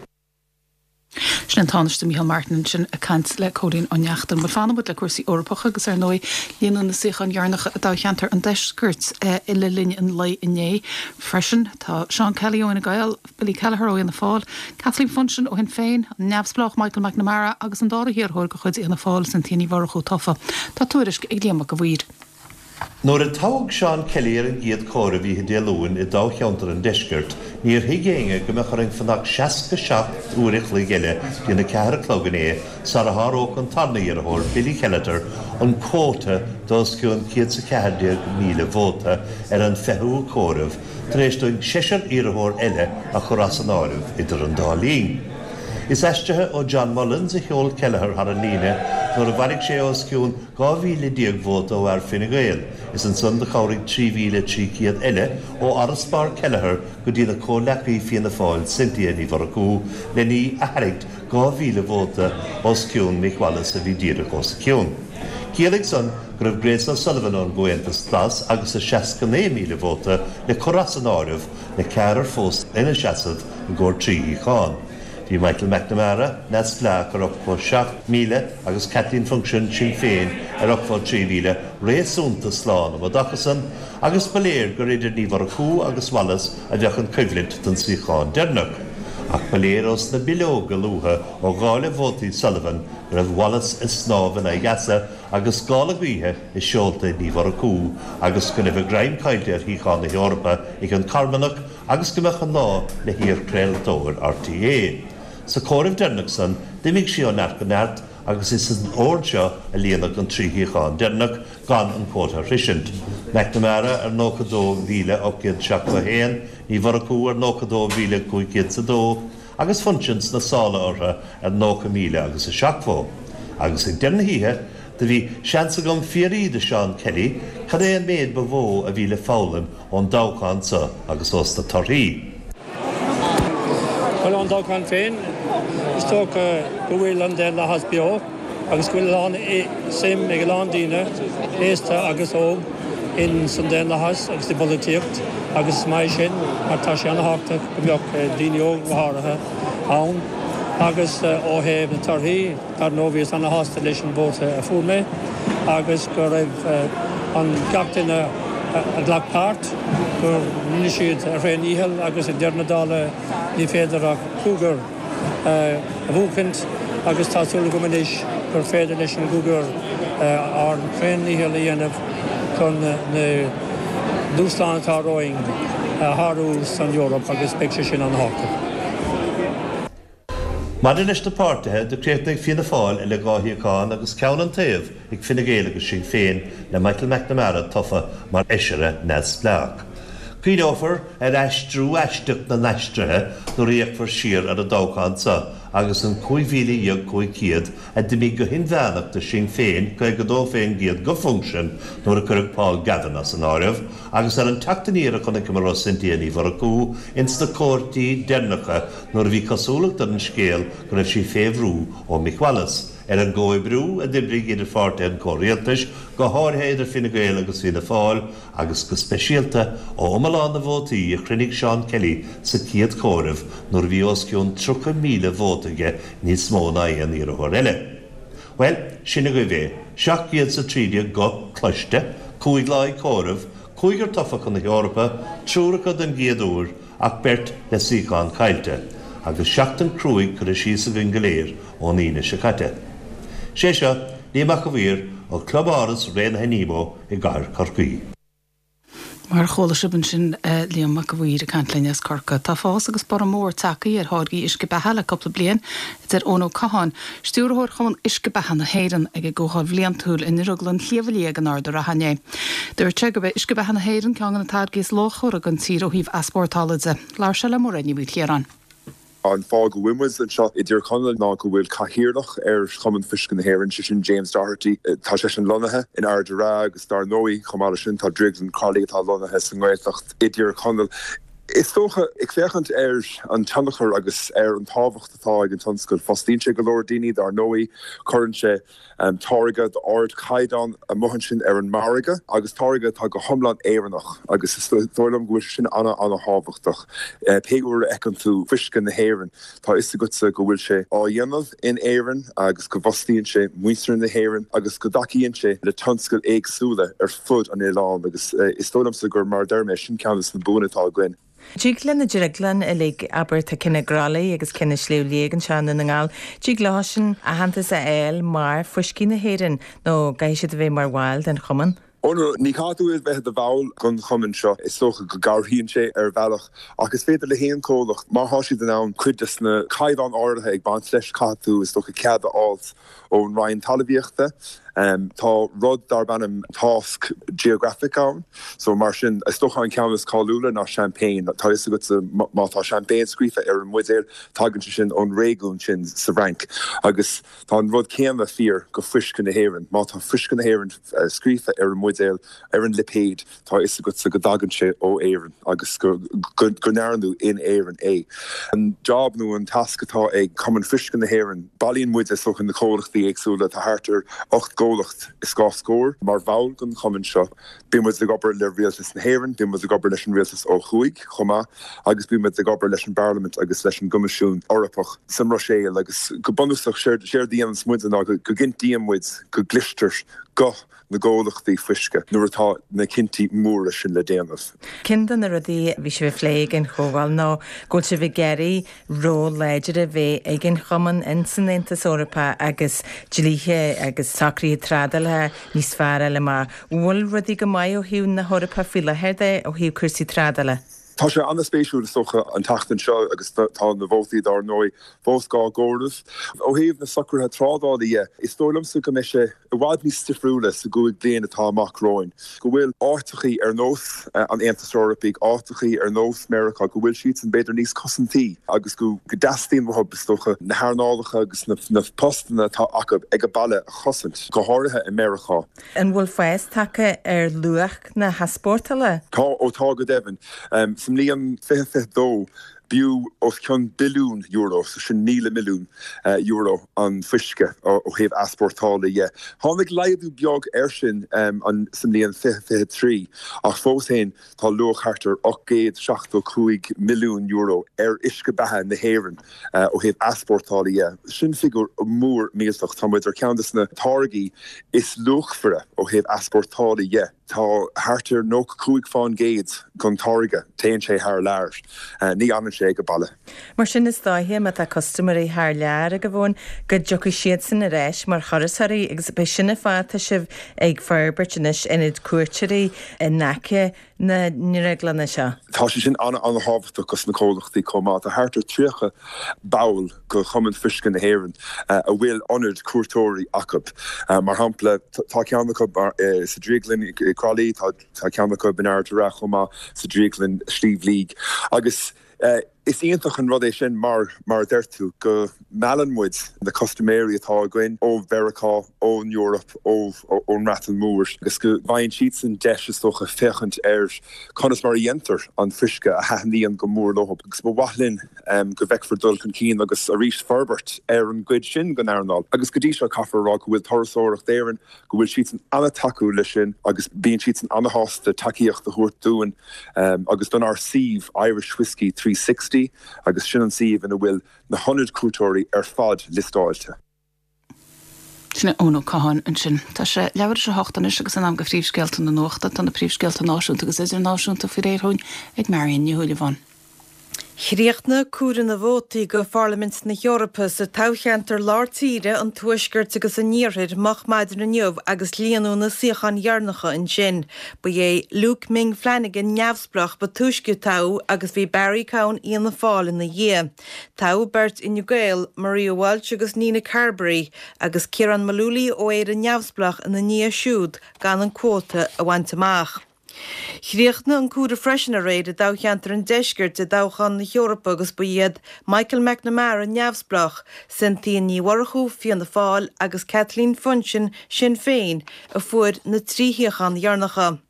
Sin an Tánaiste Micheál Martin ansin ag caint le Cóilín Ó Neachtain. Bhuel, fanann muid le cúrsaí Eorpacha agus ar ndóigh líonadh na suíocháin dheireanacha i dtoghcheantar an Deiscirt le linn an lae inné freisin. Tá Seán Kelly ó Fhine Gael, Billy Kelleher ó Fhianna Fáil, Kathleen Funchion ó Shinn Féin, an neamhspleách Michael McNamara agus an dara hiarrthóir de chuid Fhianna Fáil, Cynthia Ní Mhurchú tofa. Tá tuairisc ag Liam Mac a' Mhaoir. Nuair a toghadh Seán Kelly ar an gcéad chomhaireamh oíche Dé Luain i dtoghcheantar an Deiscirt, níor thuig éinne go mbeadh orainn fanacht seasca seacht uair a chloig eile dtí'n a ceathair a chlog inné sara sháródh an tarna iarrthóir, Billy Kelleher, an quota d'os cionn céad 's a ceathair déag míle vóta ar an fichiú comhaireamh tar éis dúinn seisear iarrthóir eile a chur as an áireamh idir an dá linn. Is aistrithe ó John Mullins a sheol Kelleher thar an líne nuair a bhailigh sé os cionn dhá mhíle déag vóta ó fhear Fine Gael is ansan do chabhraigh trí mhíle trí chéad eile ó fharasbarr Kelleher go dtína comhleacaí Fianna Fáil Cynthia Ní Mhurchú len í a tharraingt dhá mhíle vóta os cionn Mick Wallace a bhí díreach os a cionn. Chiallaigh san go raibh Grace O'Sullivan ón gComhaontas Glas agus a seasca naoi míle vóta le cur as an áireamh le ceathrar fós ina seasamh i gcomhair trí shuíochán. Bhí Michael McNamara, neamhspleách ar ochtó seacht míle agus Kathleen Funchion, Sinn Féin, ar ochtó trí mhíle, réasúnta slán um an dtaca san agus ba léir gur idir Ní Mhurchú agus Wallace a bheadh an choimhlint don suíochán deireanach. Ach ba léir ós na bileoga luatha ó dháileadh vótaí Sullivan go raibh Wallace ag snámh in aghaidh easa agus gála gaoithe i seolta Ní Mhurchú agus go raibh a greim caillte ar shuíochán na hEorpa ag an Carmanach agus go mbeadh an lá le hiarchraoltóir RTÉ. Sa chomhaireamh deireanach san, d'imigh sí ó neart go neart agus is san ord seo a líonadh an trí shuíochán deireanach gan an quota a shroisint. McNamara ar nócha dó mhíle ocht gcéad seachtó a haon, Ní Mhurchú ar nócha dó mhíle cúig chéad is a dó agus Funchion sna sála orthu ar nócha míle agus a seachtó. Agus ag deireadh na hoíche, do bhí seans agam fiafraí de Seán Kelly cad é an méid ba mhó a bhí le foghlaim ón dtoghchán seo agus ós na torthaí. Bhuel, ón dtoghchán féin, is dócha go bhfuil an daonlathas beo agus go bhfuil a lán suim ag a lán daoine, aosta agus óg, in san daonlathas agus i bpolaitíocht agus is maith sin mar tá sé an-thábhachtach go mbeadh daoine óga go háirithe ann. Agus ó thaobh na torthaí, dar ndóigh bhíos ana-shásta leis an vóta a fuair mé agus go raibh an gach duine a ghlac páirt, go rinne siad a thréandícheall agus ag deireadh na dála ní féidir ach cúigear a bhuachaint agus tá súil agam anois gur féidir leis an gcúigear ár dtréandícheall a dhéanamh chun na dúshláin atá romhainn a shárú san Eoraip agus beidh sé sin an-thábhachtach. Maidir leis na páirtithe, do chríochnaigh Fianna Fáil le dhá shuíochán agus ceann an taobh ag Fine Gael agus Sinn Féin le Michael McNamara tofa mar fheisire neamhspleách. Cuimhneofar ar aistriú aisteach na n-aistrithe nuair a fhéachfar siar ar an dtoghchán seo agus an cúig mhíle dhéag cúig chéad a d'imigh go hinmheánach do Shinn Féin, caoga dó faoin gcéad go Funchion nuair a cuireadh Paul Gavin as an áireamh, agus ar an teacht aniar a chonaiceamar ó Cynthia Ní Mhurchú ins na comhairtí deireanacha nuair a bhí cosúlacht ar an scéal go raibh sí fé bhrú ó Mick Wallace. Ar an gcomhoibriú a d'oibrigh idir pháirtithe an chomhrialtais, go háirithe idir Fine Gael agus Fianna Fáil, agus go speisialta ó iomlán na vótaí a chruinnigh Seán Kelly sa chéad chomhaireamh nuair a bhí os cionn tríocha míle vóta aige níos mó ná aon iarrthóir eile. Bhuel, sin agaibh é, seacht gcéad is a trí déag guth cloiste, cúig lá ag comhaireamh, cúigear tofa chun na hEorpa, triúr acu den gcéad uair, ach beirt le suíochán caillte, agus seachtain cruaidh curtha síos againn go léir ón Aoine seo caite. Sé seo Liam Mac a' Mhaoir ó Club Áras Raonaithe Nemo i gcathair Chorcaí. Mar a chuala sibh ansin Liam Mac a' Mhaoir ag caint linn as Corcaigh. Tá fás agus borradh mór tagtha ar tháirgí uisce beatha le cúpla bliain, a deir Eoin Ó Catháin, Stiúrthóir Chumann Uisce Beatha na hÉireann ag a gcomhdháil bhliantúil i nDrioglann Shliabh Liag in Ard an Rátha inné. Dúirt sé gurb é uisce beatha na hÉireann ceann de na táirgí is luachmhaire don tír ó thaobh easpórtála de. Labhair sé le Mairéad Ní Mhaoilchiaráin. An fáth go bhfuil muid anseo i dTír Chonaill ná go bhfuil cathaoirleach ar Chumann Fuisce na hÉireann, sé sin James Doherty. Tá seisean lonnaithe in Ard an Rátha agus dar ndóigh, chomh maith leis sin, tá Drioglann Crolly atá lonnaithe sa nGaeltacht i dTír Chonaill. Is dócha, ag féachaint ar an tionchar agus ar an tábhacht atá ag an tionscal, fostaíonn sé go leor daoine, dar ndóigh, cuireann sé táirge d'ardchaighdeán amuigh ansin ar an margadh agus táirge atá go hiomlán Éireannach agus is dóigh liom go bhfuil sé sin an-an-thábhachtach. Pé uair a fheiceann tú fuisce na hÉireann, tá a fhios agatsa go bhfuil sé á dhéanamh in Éirinn agus go bhfostaíonn sé muintir na hÉireann agus go dtacaíonn sé le tionscail éagsúla ar fud an oileáin agus is dóigh liomsa gur, mar a deir mé, sin ceann de na buanna atá againn. Dtig le na drioglanna uilig, abair, tá ceann i gCroithlí agus ceann i Sliabh Liag anseo i nDún na nGall, dtig leo sin aitheantas a fháil mar fuiscí na hÉireann nó caithfidh siad a bheith mar bhaill den chumann? Ó no, ní chaithfidh tú a bheith i do bhall den chumann seo, is dócha go gcabhraíonn sé ar bhealach ach is féidir le haon chomhlacht, má thá siad in ann cuid des na caighdeáin áirithe ag baint leis, caithfidh tú is dócha cead a fháilt ón Roinn Talmhaíochta. Tá rud darb ainm tásc geographic ann, so mar sin, is dócha an ceann is cáiliúla ná Champagne. Tá a fhios agatsa má tá Champagne scríofa ar an mbuidéal, tagann sé sin ón réigiún sin sa bhFrainc. Agus tá an rud céanna fíor go fuisce na hÉireann. Má tá fuisce na hÉireann scríofa ar an mbuidéal, ar an lipéad, tá a fhios agatsa go dtagann sé ó Éirinn agus go go ndearnadh in Éirinn é. An job nó an tasc atá ag Cumann Fuisce na hÉireann, bailíonn muid is dócha na comhlachtaí éagsúla, tá thart ar ocht gcomhlacht gcomhlacht is dhá scór mar bhall den chumann seo. Bíonn muid ag obair le Rialtas na hÉireann, bíonn muid ag obair leis an Rialtas ó thuaidh chomh maith agus bíonn muid ag obair leis an bParlaimint agus leis an gCoimisiún Eorpach sa mBruiséil agus go bunúsach séard a dhéananns muid ná go gcinntíonn muid go gcloistear guth na gcomhlachtaí fuisce nuair atá na cinntí móra sin le déanamh. Ceann de na rudaí a bhí sibh ag plé ag an chomhdháil ná go bhfuil sibh ag iarraidh ról láidir a bheith ag an Chumann ins an Aontas Eorpach agus dlíthe agus socruithe trádála níos fearr a fháil amach. Bhfuil rudaí go maith ó thaobh na hEorpa faoi láthair de ó thaobh cúrsaí trádála? Tá sé an-spéisiúil is dócha an tseachtain seo agus tá na vótaí dar ndóigh fós dhá gcomhaireamh. Ó thaobh na socruithe trádála dhe, is dóigh liomsa go mbeidh sé i bhfad níos difriúla sa gcúig bliain atá amach romhainn, go bhfuil áiteachaí ar nós an Aontais Eorpaigh, áiteachaí ar nós Meiriceá, go bhfuil siadsan b'fhéidir níos cosantaí agus go dteastaíonn uathu, is dócha, na hearnálacha agus na postanna atá acu ag a baile a chosaint, go háirithe i Meiriceá. An bhfuil fás tagtha ar luach na heaspórtála? Tá, ó tá go deimhin. Sa mbliain fiche fiche dó, b'fhiú os cionn billiún euro, so sin míle milliún euro, an fuisce ó thaobh easpórtála dhe. Tháinig laghdú beag air sin sa mbliain fiche fiche trí ach fós féin tá luach thart ar ocht gcéad seachtó cúig milliún euro ar uisce beatha na hÉireann ó thaobh easpórtála dhe. Sin figiúr mór millteach. Tá muid ar cheann de na táirgí is luachmhaire ó thaobh easpórtála dhe. Tá thart ar nócha cúig fán gcéad den táirge, téann sé thar lear, ní fhanann sé ag baile. Mar sin is dóiche má tá custaiméirí thar lear agaibh ann go dtiocfaidh siadsan ar ais mar thurasóirí agus b'é sin an fáth atá sibh ag forbairt anois ionad cuairteoirí in aice na ndrioglanna seo. Tá sé sin an-an-thábhachtach dos na comhlachtaí chomh maith. Tá thart ar tríocha ball de Chumann Fuisce na hÉireann a bhfuil ionad cuairteoirí acu. Mar shampla, tá ceann acu sa Drioglann i Croithlí, tá ceann acu in Ard an Rátha chomh maith, sa Drioglann Sliabh Liag. Agus is iontach an rud é sin mar, mar a deir tú, go meallann muid na custaiméirí atá againn ó Mheiriceá, ón Eoraip, ón mBreatain Mhór agus go bhfaigheann siadsan deis is dócha féachaint ar conas mar a dhéantar an fuisce a thaitníonn go mór leo. Agus ba mhaith linn go bhfeicfear dul chun cinn agus arís forbairt ar an gcuid sin den earnáil. Agus go dtí seo caithfear a rá go bhfuil Turasóireacht Éireann, go bhfuil siadsan an-tacúil leis sin agus bíonn siadsan an-shásta tacaíocht a thabhairt dúinn agus donár suíomh Irish Whiskey trí sixty agus sin an suíomh ina bhfuil na hionaid cuairteoirí ar fad liostáilte. Sin é Eoin Ó Catháin ansin. Tá sé leathuair tar éis a hocht anois agus in am do phríomhscéalta na nuachta. Tá na príomhscéalta náisiúnta agus idirnáisiúnta faoi réir dhúinn ag Marion Ní Shúilleabháin. Chríochnaigh comhaireamh na vótaí go Pharlaimint na hEorpa sa toghcheantar Lár Tíre, an Tuaiscirt agus an Iarthair moch maidin inniu agus líonadh na suíocháin dheireanacha ansin. Ba é Luke Ming Flanagan neamhspleách ba túisce a toghadh agus bhí Barry Cowen Fhianna Fáil ina dhiaidh. Toghadh beirt Fhine Gael, Maria Walsh agus Nina Carberry, agus Ciarán Mullooly ó Éire Neamhspleách ina ndiaidh siúd gan an cuóta a bhaint amach. Chríochnaigh an comhaireamh freisin aréir i dtoghcheantar an Deiscirt i dtoghchán na hEorpa agus ba iad Michael McNamara, Neamhspleách, Cynthia Ní Mhurchú, Fianna Fáil, agus Kathleen Funchion, Sinn Féin, a fuair na trí shuíochán dheireanacha.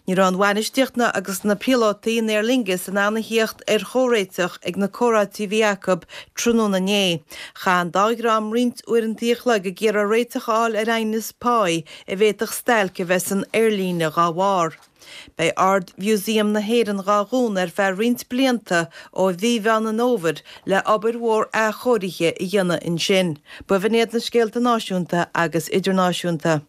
Ní raibh an bhainistíocht ná agus na píolótaí in Aer Lingus in ann a theacht ar chomhréiteach ag na comhráití a bhí acu tráthnóna inné. Chaith an dá dhream roinnt uaireanta a chloig ag iarraidh réiteach a fháil ar aighneas páí a bhféadfadh stailc a bheith san aerlíne dhá bharr. Beidh Ard-Mhúsaem na hÉireann dhá dhúnadh ar feadh roinnt blianta ó mhí Mheán an Fhómhair le obair mhór athchóirithe a dhéanamh ansin. B'in iad na scéalta náisiúnta agus idirnáisiúnta.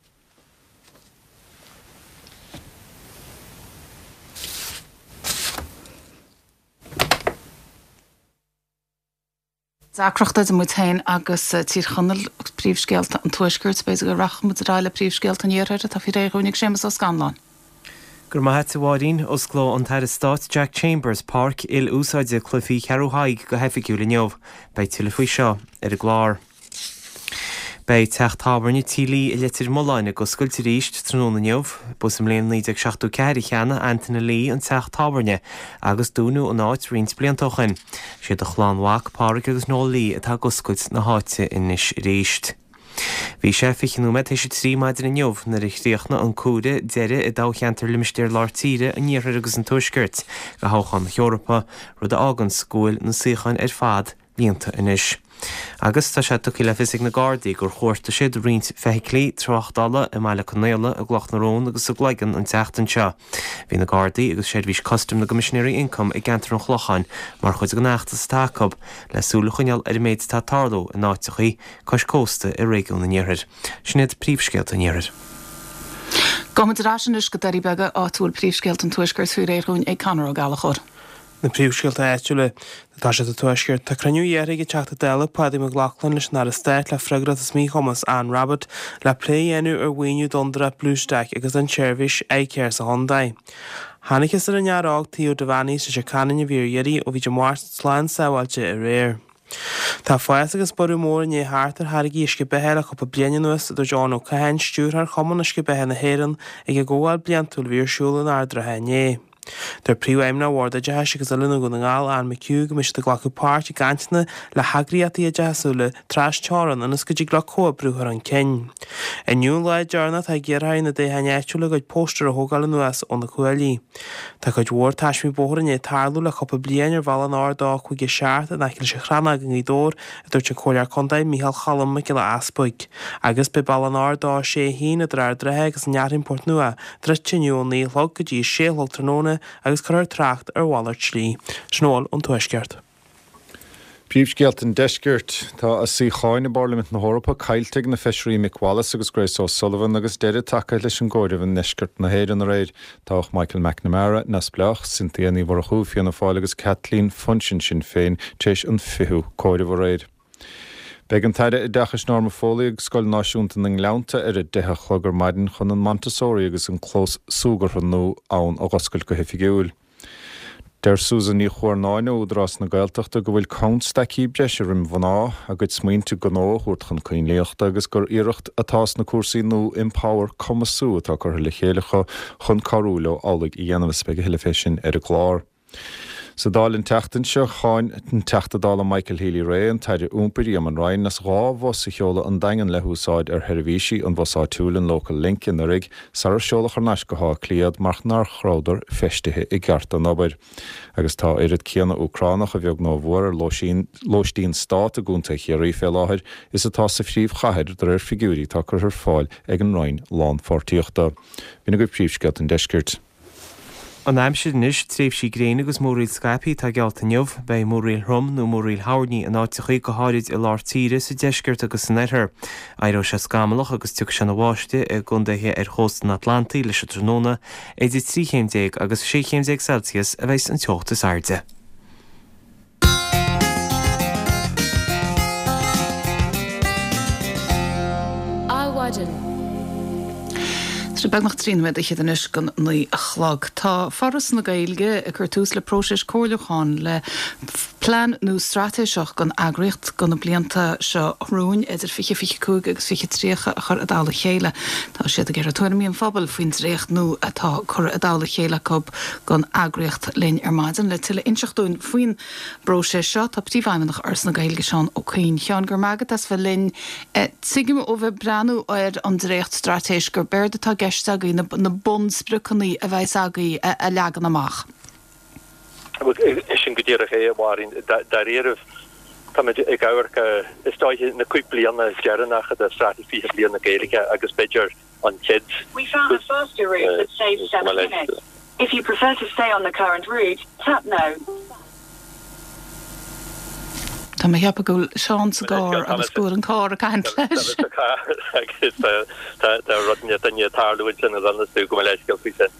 Deacracht idir muid féin agus Tír Chonaill, príomhscéalta an Tuaiscirt. B'fhéidir go rachaidh muid ar aghaidh le príomhscéalta an Iarthair atá faoi réir dhúinn ag Séamus Ó Scanláin. Go raibh maith a't, a Mháirín. Osclóidh an tAire Stáit Jack Chambers páirc il-úsáide cluichí Cheathrú Thaidhg go hoifigiúil inniu. Beidh tuilleadh faoi seo ar an gclár. Beidh teach tábhairne Tí Lee i Leitir Mealláin ag oscailt arís tráthnóna inniu. Ba sa mbliain naoi déag seachtó ceathair a cheannaigh Anthony Lee an teach tábhairne agus dúnadh an áit roinnt blianta ó shin. Siad a chlann mhac, Pádraig agus Noel Lee atá ag oscailt na háite anois arís. Bhí sé fiche nóiméad théis a trí maidin inniu nuair a chríochnaigh an comhaireamh deiridh i dtoghcheantar Limistéar Lár Tíre, an Iarthair agus an Tuaiscirt do thoghchán na hEorpa, rud a fháganns go bhfuil na suíocháin ar fad blianta anois. Agus tá sé tugtha le fios ag na Gardaí gur chuartaigh siad roinnt feithiclí tráchtála i mBaile Conaola, i gCloch na Rón agus sa gCloigeann an tseachtain seo. Bhí na Gardaí agus Seirbhís Custaim na gCoimisinéirí Ioncaim i gceantar an Chlocháin mar chuid den fheachtas atá acu le súil a choinneáil ar an méid atá ag tarlú in áiteachaí cois cósta i réigiún an Iarthair. Sin iad príomhscéalta an Iarthair. Gabhfaimid ar ais anois go Doirí Beaga, áit a bhfuil príomhscéalta an Tuaiscirt faoi réir dhúinn ag Conor Ó Gallchóir. Na príomhscéalta áitiúla. Tá sé sa Tuaisceart. Tá cruinniú iarrtha ag an Teachta Dála Paddy McLaughlin leis an Aire Stáit le freagracht as míchumas Anne Rabbitte le plé a dhéanamh ar mhaoiniú d'fhondúireacht Bluestack agus don tseirbhís iCare sa chontae. Thángthas ar an fhear óg Theo Devaney sa Leitir Ceanainn a bhí ar iarraidh ó bhí Dé Máirt slán sábháilte aréir. Tá fás agus borradh mór i ndiaidh theacht ar tháirgí uisce beatha le cúpla bliain anuas, a dúirt Eoin Ó Catháin, Stiúrthóir Chumann Uisce Beatha na hÉireann, ag an gcomhdháil bliantúil a bhí ar siúl in Ard an Rátha inné. Deir Príomhfheidhmeannach Bhord Oideachais agus Oiliúna Dhún na nGall, Anne McHugh, go mbeidh siad ag glacadh páirt i gcainteanna le heagraíochtaí oideachasúla tras-teorann ionas go dtig leo comhoibriú a chur chun cinn. Inniu an lá deireanach atá ag iarrthóirí na dtoghcháin áitiúla a gcuid póstaer a thógáil anuas ó na cuaillí. Tá cuid mhór taismí bóthair i ndiaidh tarlú le cúpla bliain ar bhealach an R dó cúig a seacht in aice leis an Chrannóg i nGaoth Dobhair, a dúirt an Comhairleoir Contae Micheál Cholm Mac Giolla Easpaig. Agus beidh bealach an R dó sé a haon idir Ard an Rátha agus an Fhearthainn Port Nua druidte inniu ó naoi a chlog go dtí a sé a chlog tráthnóna agus cuirfear trácht ar mhalairt slí. Sin a bhfuil ón Tuaisceart. Príomhscéalta an Deiscirt. Tá a suíocháin i bParlaimint na hEorpa caillte ag na feisirí Mick Wallace agus Grace O'Sullivan agus deireadh tagtha leis an gcomhaireamh i ndeisceart na hÉireann aréir. Toghadh Michael McNamara, Neamhspleách, Cynthia Ní Mhurchú, Fianna Fáil agus Kathleen Funchion, Sinn Féin, tar éis an fichiú comhaireamh aréir. Beidh an tAire Oideachais Norma Foley ag Scoil Náisiúnta na nGleannta ar a deich a chlog ar maidin chun an Montessori agus an clós súgartha nua ann a dh'oscailt go hoifigiúil. Deir Susan Ní Chuarnáin ó Údarás na Gaeltachta go bhfuil constaicí breise roimh mhná a gcuid smaointe gnó a thabhairt chun coinlíochta agus gur iarracht atá sna cúrsaí nua Empower Cumasú atá curtha le chéile acu chun cabhrú leo amhlaidh a dhéanamh is beidh a thuilleadh fé sin ar an gclár. Sa Dáil an tseachtain seo, cháin an Teachta Dála Michael Healy-Rae an tAire Iompair Eamon Ryan as dhá bhus a sheoladh an Daingean le húsáid ar sheirbhísí an bhus áitiúil an Local Link anuraidh sarar seoladh thar n-ais go hÁth Cliath iad mar nach rabhadar feistithe i gceart don obair. Agus tá oiread céanna Úcránach a bheag nó a mhór ar lóistín stát i gContae Chiarraí fé láthair is atá sa phríomhchathair de réir figiúirí atá curtha ar fáil ag an Roinn Lánpháirtíochta. B'in agaibh príomhscéalta an Deiscirt. An aimsir anois, tréimhsí gréine agus múraíl scaipthe atá geallta inniu. Beidh múraíl throm nó múraíl thoirní in áiteachaí, go háirid i lár tíre, sa deisceart agus san oirthear. Éireoidh sé scamallach agus tiocfaidh sé ina bháisteach i gcontaetha ar chósta an Atlantaigh leis an tráthnóna. Idir trí chéim déag agus sé chéim déag Celsius a bheas an teocht is airde. Adhmhaidin. Tá sé beagnach trí nóiméad fhichead anois don naoi a chlog. Tá Foras na Gaeilge ag cur tús le próiseas comhairliúcháin le plean nua straitéiseach don eagraíocht do na blianta seo romhainn, idir fiche fiche cúig agus fiche tríocha, a chur i dtoll a chéile. Tá siad ag iarraidh tuairimí an phobail faoin dréacht nua atá curtha i dtoll a chéile acu don eagraíocht linn ar maidin. Le tuilleadh a inseacht dúinn faoin bpróiseas seo tá Príomhfheidhmeannach Fhoras na Gaeilge, Seán Ó Cuinn. Sheáin, go raibh maith agat as bheith linn. Tuigim ó bheith ag breathnú ar an dréacht-straitéis gurb éard atá i gceist agaibh na na bunspriocanna a bheas agaibh a leagan amach. Sin go díreach é, a Mháirín. Dáiríribh, táimid ag amharc ar, is dóiche, na cúig bliana deireanacha de Straitéis Fiche Bliain na Gaeilge agus b'fhéidir an chéad We found a faster route that saves seven minutes. If you prefer to stay on the current route, tap no. Tá mé ag ceapadh go bhfuil Seán sa gcarr agus go bhfuil an carr ag caint leis. Tá mé sa charr agus tá rud duine ag tarlú ansin a dhéanas tú gabh mo leithscéal faoi sin.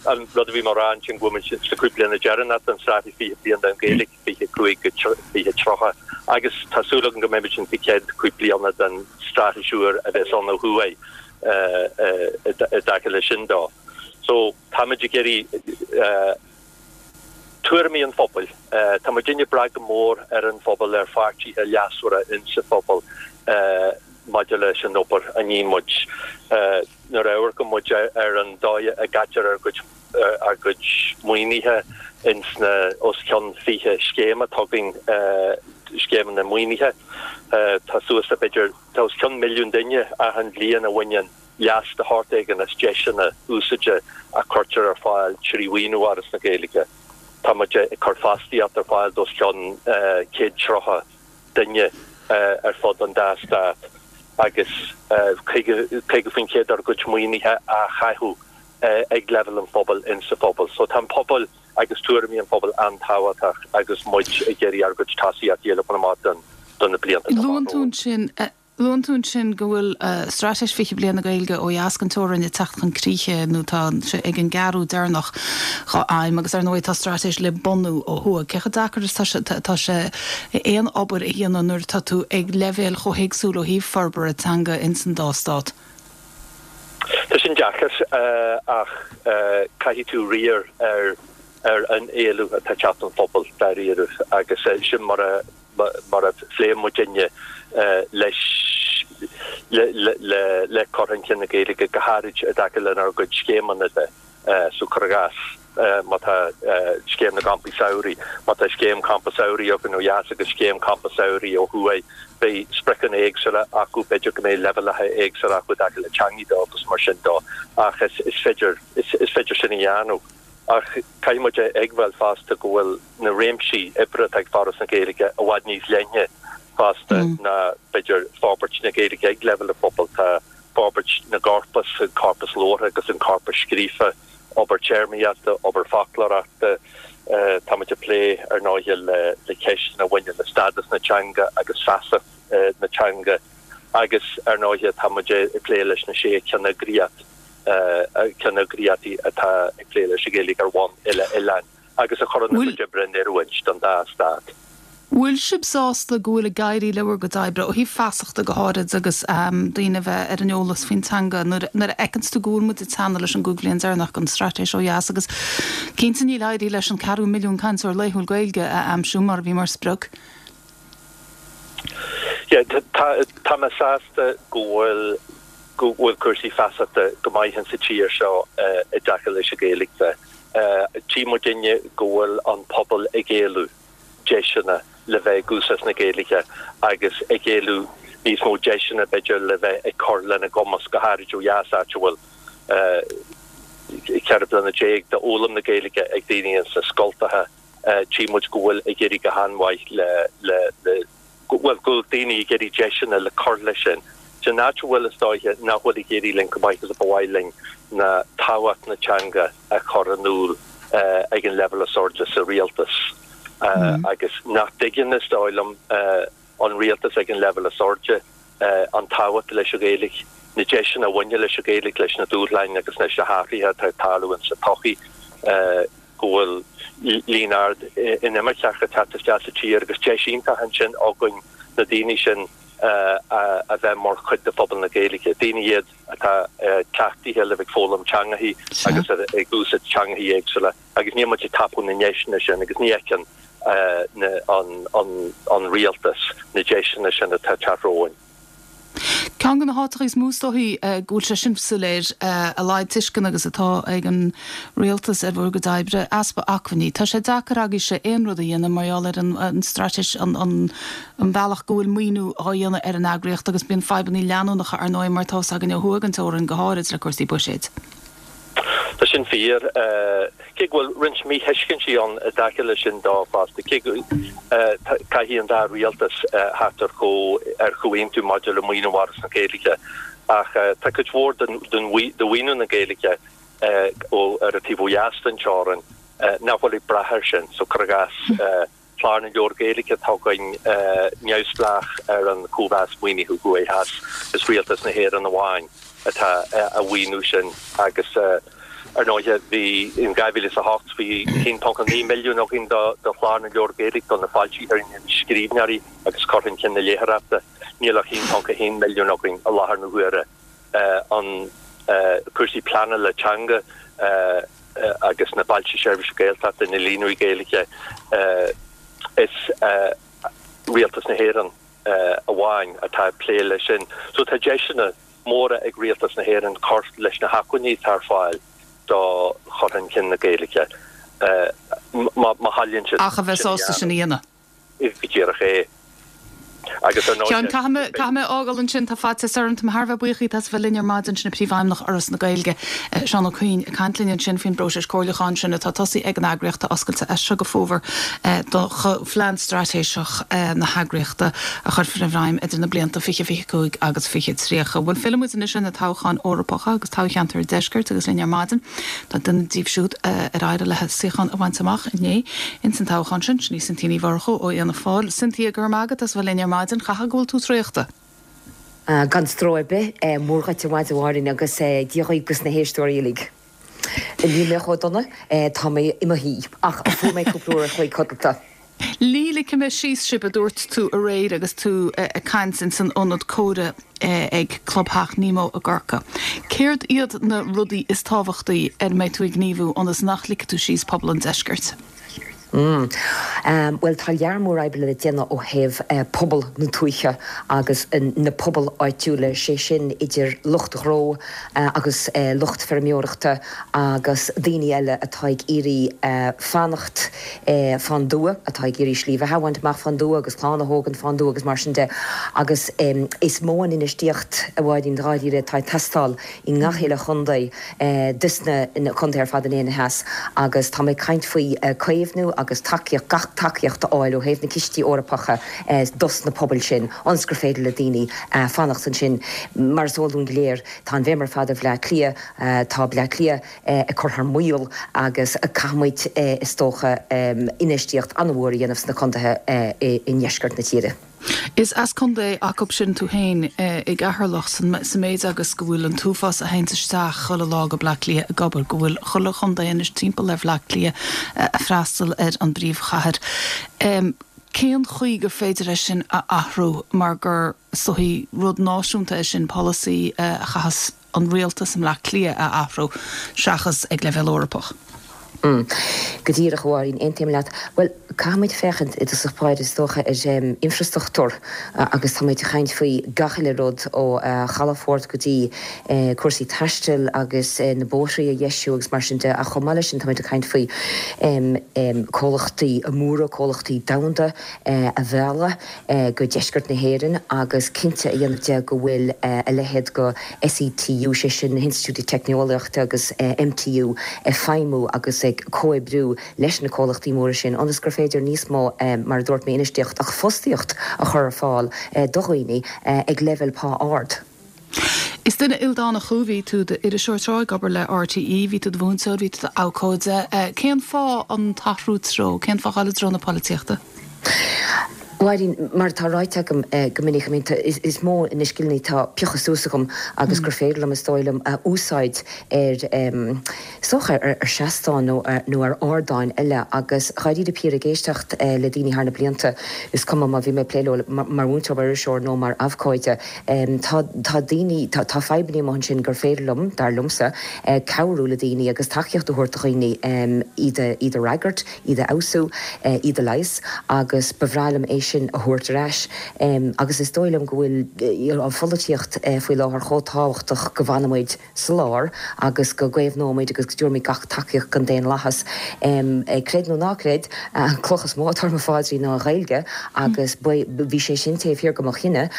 An rud a bhí mé a rá ansin go bhfuil muid sna cúig bliana deireanach den Straitéis Fiche Bliain don Ghaeilge, fiche cúig go fiche tríocha, agus tá súil agam go mbeimid ins na chéad cúig bliana den straitéis úr a bheas ann ó thuaidh i dtaca leis sin dó. So táimid ag iarraidh tuairimí an phobail. Tá muidinne ag brath go mór ar an phobal, ar pháirtithe leasmhara insa phobal maidir leis an obair a ní muid. Nuair a amharcann muid ar an dóigh a gcaitear ár gcuid ár gcuid maoinithe ins na os cionn fiche scéim atá againn, scéimeanna maoinithe, tá suas le b'fhéidir, tá os cionn milliún duine achan bhliain a bhaineann leas de shórt éigin as deiseanna úsáide a cuirtear ar fáil trí mhaoiniú Fhoras na Gaeilge. Tá muid ag cur fostaíocht ar fáil d'os cionn céad tríocha duine ar fud an dá stát agus caoga faoin chéad dár gcuid maoinithe á chaitheamh ag leibhéal an phobail insa phobal. So tá an pobal agus tuairimí an phobail an-tábhachtach agus muid ag iarraidh ár gcuid tosaíochtaí a leagan amach do na blianta atá Luann tú romhainn. ansin Luann tú ansin go bhfuil Straitéis Fiche Bliain na Gaeilge ó dheas den teorainn ag teacht chun críche nó tá sé ag an gceathrú deireanach dá aidhm agus ar ndóigh tá straitéis le bunú ó thuaidh. Cé chomh deacair is atá sé aon obair a dhéanamh nuair atá tú ag leibhéal chomh héagsúil ó thaobh forbartha teanga ins an dá stát? Tá sin deacair ach caithfidh tú riar ar ar an éileamh atá ag teacht ón phobal dáiríre agus sin mar a mar a phléann muidinne leis le cur chun cinn na Gaeilge, go háirid i dtaca lenár gcuid scéimeanna de. So cuir i gcás, má tá scéim na gcampaí samhraidh, má tá scéim campa samhraidh againn ó dheas agus scéim campa samhraidh ó thuaidh, beidh spriocanna éagsúla acu, b'fhéidir go mbeidh leibhéalacha éagsúla acu i dtaca le teangaí de agus mar sin de, ach is féidir is féidir sin a dhéanamh. Ach caithfidh muid a admháil fosta go bhfuil na réimsí oibre atá ag Foras na Gaeilge i bhfad níos leithne fosta ná b'fhéidir forbairt na Gaeilge ag leibhéal an phobail. Tá forbairt na gcorpas, an corpas labhartha agus an corpas scríofa, obair téarmaíochta, obair foclóireachta. Tá muid ag plé ar ndóighe le ceisteanna a bhaineann le stádas na teanga agus feasacht na teanga agus ar ndóighe tá muid ag plé leis na sé cheanneagraíocht. ceanneagraíochtaí atá ag plé leis an Ghaeilge ar bhonn uile-oileáin agus a chuireann a gcuid oibre in oiriúint don dá stát. Bhfuil sibh sásta go bhfuil ag éirí le bhur gcuid oibre, ó thaobh feasachta go háirid agus daoine a bheith ar an eolas faoin teanga nuair a fheiceanns tú go bhfuil muid ag teannadh leis an gcúig bhliain deireanach den straitéis ó dheas agus cinnte níl éirithe leis an ceathrú milliún cainteoir laethúil Gaeilge a aimsiú mar a bhí mar sprioc? Yeah, tá mé sásta go bhfuil go bhfuil cúrsaí feasachta go maith insa tír seo i dtaca leis an Ghaeilge de. Tchí muidinne go bhfuil an pobal ag éileamh deiseanna le bheith ag úsáid na Gaeilge agus ag éileamh níos mó deiseanna b'fhéidir le bheith ag cur lena gcumas, go háirid ó dheas áit a bhfuil ceithre bliana déag d'fhoghlaim na Gaeilge ag daoine ins na scoltacha. Tchí muid go bhfuil ag éirí go han-mhaith le le le go bhfuil go bhfuil daoine ag iarraidh deiseanna le cur leis sin. San áit a bhfuil is dóiche nach bhfuil ag éirí linn chomh maith is a ba mhaith linn ná tábhacht na teanga a chur in iúl ag an leibhéal is airde sa rialtas agus nach dtuigeann is dóigh liom an rialtas ag an leibhéal is airde an tábhacht leis an Ghaeilge, na deiseanna a bhaineann leis an Ghaeilge, leis na dúshláin agus leis na hathruithe atá ag tarlú insa tsochaí. go bhfuil líon ard inimirceach ag teacht isteach sa tír agus deis iontach ansin againn na daoine sin a bheith mar chuid de phobal na Gaeilge. Daoine iad atá cleachtaithe le bheith ag foghlaim teangachaí agus ag úsáid teangachaí éagsúla agus níl muid ag tapú na ndeiseanna sin agus ní fheiceann an rialtas na deiseanna sin atá ag teacht romhainn. Ceann de na háiteacha is mó is dóichí go bhfuil sé sin soiléir, a laghad tuisceana agus atá ag an rialtas ar bhur gcuid oibre, easpa acmhainní. Tá sé deacair agaibhse aon rud a dhéanamh mar gheall ar an straitéis, an bealach go bhfuil maoiniú á dhéanamh ar an eagraíocht agus bíonn fadhbanna leanúnacha ar ndóigh mar atá a fhios againn ó thuaidh den teorainn go háirid le cúrsaí buiséid. Tá sin fíor, cé go bhfuil roinnt míthuiscintí ann i dtaca leis sin dó fosta. Cé go caithfidh an dá rialtas theacht ar chomhaontú maidir le maoiniú Fhoras na Gaeilge, ach tá cuid mhór de mhaoiniú na Gaeilge ó ar an taobh ó dheas den teorainn nach bhfuil ag brath air sin. So cuir i gcás, Clár na Leabhar Gaeilge atá againn neamhspleách ar an chóimheas maoinithe thuaidh theas. Is Rialtas na hÉireann amháin atá á mhaoiniú sin agus ar ndóighe bhí in dhá mhíle is a hocht bhí a haon ponc a naoi milliún againn do Chlár na Leabhar Gaeilge, do na foilsitheoirí, na scríbhneoirí agus cur chun cinn na léitheoireachta. Níl ach a haon ponc a haon milliún againn i láthair na huaire. An cúrsaí pleanála teanga. agus na Bailte Seirbhíse Gaeltachta, na Líonraí Gaeilge, is Rialtas na hÉireann amháin atá ag plé leis sin. So tá deiseanna móra ag Rialtas na hÉireann cur leis na hacmhainní atá ar fáil do chur chun cinn na Gaeilge má thoilíonn siad Ach a bheith sásta sin a dhéanamh. Go díreach é. Agus ar ndóigh. Sheáin, caithfidh mé, caithfidh mé fhágáil ansin, tá faitíos orm, tá mé thar a bheith buíoch díot as a bheith linn ar maidin, sin Príomhfheidhmeannach Fhoras na Gaeilge, Seán Ó Cuinn, ag caint linn ansin faoin bpróiseas comhairliúcháin sin atá tosaithe ag an eagraíocht, atá oscailte as seo go fómhar do phlean straitéiseach na heagraíochta a chuirfear i bhfeidhm idir na blianta fiche fiche cúig agus fiche tríocha. Bhuel, fillfidh muid anois ar na toghcháin Eorpacha agus toghcheantar an Deiscirt agus linn ar maidin tá duine díobh siúd ar éirigh léi suíochán a bhaint amach inné ins an toghchán sin, sin í Cynthia Ní Mhurchú ó Fhianna Fáil. Cynthia, go raibh maith agat as a bheith linn ar maidin. Caithfidh go bhfuil tú traochta? Gan stró ar bith. Mór dhuit ar maidin a Mháirín agus Dia dhaoibh agus na héisteoirí uilig. Níl mé chomh dona, tá mé i mo shuí, ach fuair mé cúpla uair a chloig codlata. Ní ligfidh mé síos sibh, a dúirt tú aréir agus tú ag caint ins an ionad comhrá ag Clubtheach Nemo i gCorcaigh. Céard iad na rudaí is tábhachtaí ar a mbeidh tú ag gníomhú ionas nach ligfidh tú síos pobal an deiscirt? Bhuel, tá lear mór oibre le déanamh ó thaobh pobal na tuaithe agus na pobail áitiúla, sé sin idir lucht gnó agus lucht feirmeoireachta agus daoine eile atá ag iarraidh fanacht fán dtuath, atá ag iarraidh slí bheatha a bhaint amach fán dtuath agus clann a thógaint fán dtuath agus mar sin de. Agus is mó an infheistíocht, a Mháirín, dáiríre, atá ag teastáil i ngach uile chontae de na contaetha ar fad in Éirinn Theas agus tá mé ag caint faoi caomhnú agus tacaíocht, gach tacaíocht a fháil ó thaobh na cistí Eorpacha dos na pobail sin ionas gur féidir le daoine fanacht ansin. Mar is eol dúinn go léir, tá an bhéim ar fad ar Bhleá Cliath, tá Bleá Cliath ag cur thar maoil agus caithfimid is dócha infheistíocht an-mhór a dhéanamh sna contaetha i ndeisceart na tíre. Is as contae acu sin tú féin, i gCeatharlach, sa méid agus go bhfuil an t-uafás a théanns isteach chuile lá go Bleá Cliath ag obair, go bhfuil chuile chontae anois timpeall ar Bhleá Cliath ag freastal ar an bpríomhchathair. Cén chaoi gur féidir é sin a athrú mar gur is dóichí rud náisiúnta é sin, polasaí a chaithfeas an rialtas i mBleá Cliath a athrú seachas ag leibhéal Eorpach? Go díreach, a Mháirín, aontaím leat. Bhuel, caithfimid féachaint i dtosach báire, is dócha, ar infreastruchtúr agus tá muid ag caint faoi gach uile rud ó chalafort go dtí cúrsaí taistil agus na bóithrí a dheisiú agus mar sin de ach chomh maith leis sin tá muid ag caint faoi comhlachtaí móra, comhlachtaí domhanda a mhealladh go deisceart na hÉireann agus cinnte a dhéanamh de go bhfuil a leithéid de SETU, sé sin na hInstitiúidí Teicneolaíochta agus MTU ag feidhmiú agus ag comhoibriú leis na comhlachtaí móra sin ionas gur féidir níos mó, mar a dúirt mé, infheistíocht ach fostaíocht a chur ar fáil do dhaoine ag leibhéal pá ard. Is duine ildánach thú, bhí tú i d'iriseoir tráth, ag obair le RTÉ, bhí tú i do mhúinteoir, bhí tú i d'abhcóide. Cén fáth an t-athrú treo? Cén fáth dhul i dtreo na polaitíochta? A Mháirín, mar atá ráite agam go minic, I mean, is mó na scileanna atá pioctha suas agam agus gur féidir liom, is dóigh liom, a úsáid ar, is dócha, ar seastáin nó nó ar ardáin eile agus dháiríre píre ag éisteacht le daoine thar na blianta, is cuma má bhí mé ag plé leo mar mhúinteoir, mar iriseoir nó mar abhcóide, tá tá daoine, tá tá fadhbanna amuigh ansin gur féidir liom, dar liomsa, cabhrú le daoine agus tacaíocht a thabhairt do dhaoine iad a iad a fhreagairt. iad a fheabhsú, iad a leigheas agus ba bhreá liom é sin a thabhairt ar ais. Agus is dóigh liom go bhfuil an pholaitíocht faoi láthair chomh tábhachtach go bhfanfaidh muid sa lár agus go gcaomhnóidh muid agus go dtabharfaidh muid gach tacaíocht don daonlathas. Creid nó ná creid, an cloch is mó atá ar mo phaidrín ná an Ghaeilge agus bhí sé sin taobh thiar de mo chinneadh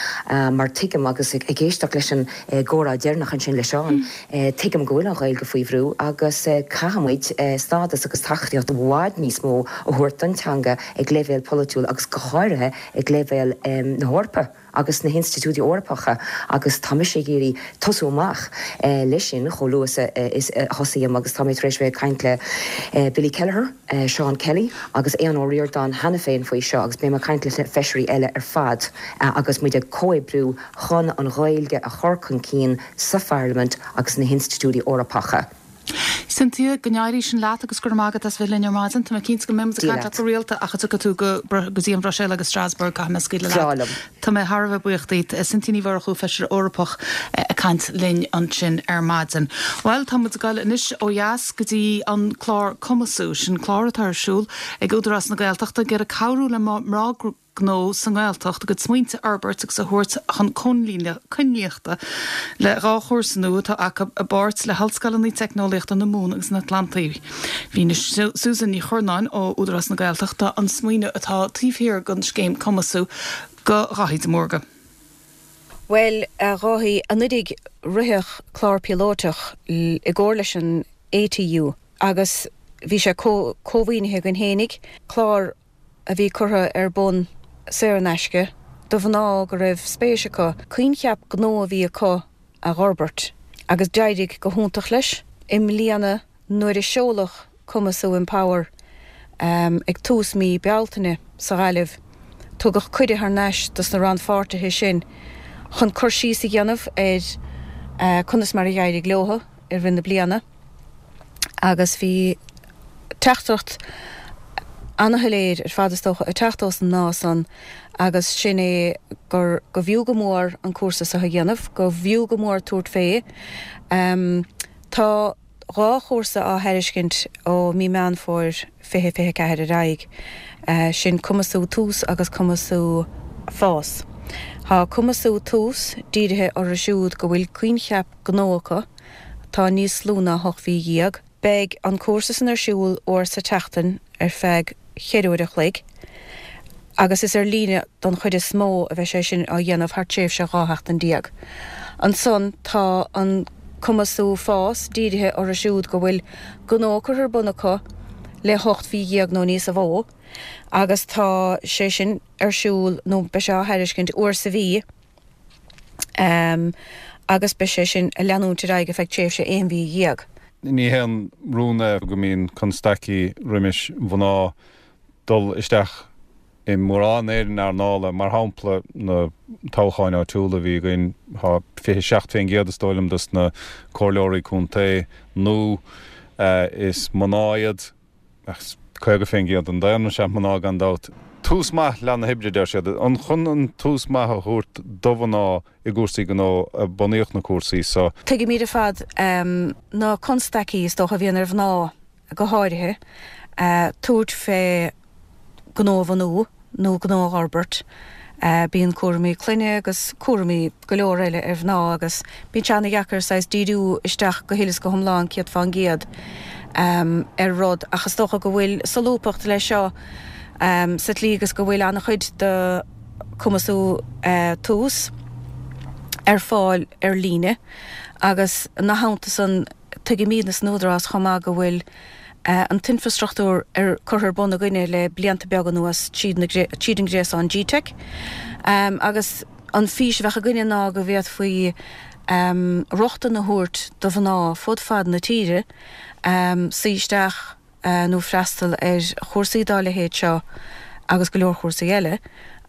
mar tuigim agus ag éisteacht leis an gcomhrá deireanach ansin le Seán, Tuigim go bhfuil an Ghaeilge faoi bhrú agus caithfidh muid stádas agus tacaíocht i bhfad níos mó a thabhairt don teanga ag leibhéal polaitiúil agus go háirithe ag leibhéal na hEorpa agus na hinstitiúidí Eorpacha agus tá mise ag iarraidh tosú amach leis sin chomh luath is a thosaím agus tá mé tar éis bheith ag caint le Billy Kelleher, Seán Kelly agus Aodhán Ó Ríordáin cheana féin faoi seo agus beidh mé ag caint leis na feisirí eile ar fad agus muid ag comhoibriú chun an Ghaeilge a chur chun cinn sa Pharlaimint agus sna hinstitiúidí Eorpacha. Cynthia, go n-éirí sin leat agus go raibh maith agat as bheith linn ar maidin. Tá mé cinnte go mbeidh muid ag Dia caint leat leat. go rialta ach a dtiocfaidh tú go go dtí an Bhruiséil agus Strasbourg, caithfidh mé scaoileadh Breá leat. liom. Tá mé thar a bheith buíoch díot. Cynthia Ní Mhurchú, Feisire Eorpach, ag caint linn ansin ar maidin. Bhuel, tá muid ag dul anois ó dheas go dtí an clár Cumasú, sin clár atá ar siúl ag Údarás na Gaeltachta ag iarraidh cabhrú le mná gnó sa nGaeltacht a gcuid smaointe a fhorbairt agus a thabhairt chun coinlíochta le dhá chúrsa nua atá acu i bpáirt le hOllscoileanna Teicneolaíochta na Mumhan agus an Atlantaigh. Mhínigh Susan Ní Churnáin ó Údarás na Gaeltachta an smaoineamh atá taobh thiar den scéim Cumasú. Go Dháithí de Mórdha. Bhuel, a Dháithí, anuraidh ritheadh clár píolótach i gcomhar leis an ATU agus bhí sé cómhaoinithe againn fhéinig, clár a bhí curtha ar bun saor in aisce do mhná go raibh spéis acu coincheap gnó a bhí acu a dh'fhorbairt agus d'éirigh go hiontach leis. I mbliana nuair a seoladh Cumasú Empower ag tús mí Bealtaine sa Ghaillimh, tugadh cuireadh thar n-ais dos na rannpháirtithe sin chun cur síos a dhéanamh ar conas mar a d'éirigh leo i rith na bliana agus bhí teachtaireacht ana-shoiléir ar fad is dócha ag teacht ós na mná san agus sin é gur go bhfiú go mór an cúrsa seo a dhéanamh, go bhfiú go mór tabhairt fé. Tá dhá chúrsa á thairiscint ó mí Meán Fómhair fiche fiche ceathair ar aghaidh, sin Cumasú Tús agus Cumasú Fás. Tá Cumasú Tús dírithe orthu siúd go bhfuil coincheap gnó acu atá níos lú ná hocht mhí dhéag. Beidh an cúrsa san ar siúl uair sa tseachtain ar feadh cheithre uair a chloig agus is ar líne don chuid is mó a bheidh sé sin á dhéanamh thar tréimhse dhá sheachtain déag. Ansan tá an Cumasú Fás dírithe orthu siúd go bhfuil gnó curtha ar bun acu le hocht mhí dhéag nó níosa mhó agus tá sé sin ar siúl nó beidh sé á thairiscint uair sa mhí agus beidh sé sin ag leanúint ar aghaidh ar feadh tréimhse aon mhí dhéag. Ní haon rún é go mbíonn constaicí roimis mhná dul isteach i mórán ar na hearnála, mar shampla na toghcháin áitiúla a bhí againn, tá fiche seacht fén gcéad is dóigh liom dos na comhairleoirí contae nó is mná iad, ach caoga fén gcéad den daonra is ea mná gan dabht. Tús maith le na hoibre, deir siad. An chun an tús maith a thabhairt do mhná i gcúrsaí gnó a bunaíodh na cúrsaí so? Tuigimid ar fad na constaicí is dócha a bhíonn ar mhná go háirithe tabhairt fé gnó a bhunú nó gnó a dh'fhorbairt. Bíonn cúraimí clainne agus cúraimí go leor eile ar mhná agus bíonn sé ana-dheacair saghas díriú isteach go huile is go hiomlán céad fán gcéad ar rud ach is dócha go bhfuil solúbthacht leis seo sa tslí agus go bhfuil ana-chuid de Cumasú Tús ar fáil ar líne agus ina theannta san tuigimidne san Údarás chomh maith go bhfuil an t-infreastruchtúr ar curtha ar bun againne le blianta beaga anuas tríd an ghréasán GTeic agus an fís a bheadh againne ná go bhféadfaí rochtain a thabhairt do mhná fud fad na tíre suí isteach nó freastal ar chúrsaí dá leithéid seo agus go leor cúrsaí eile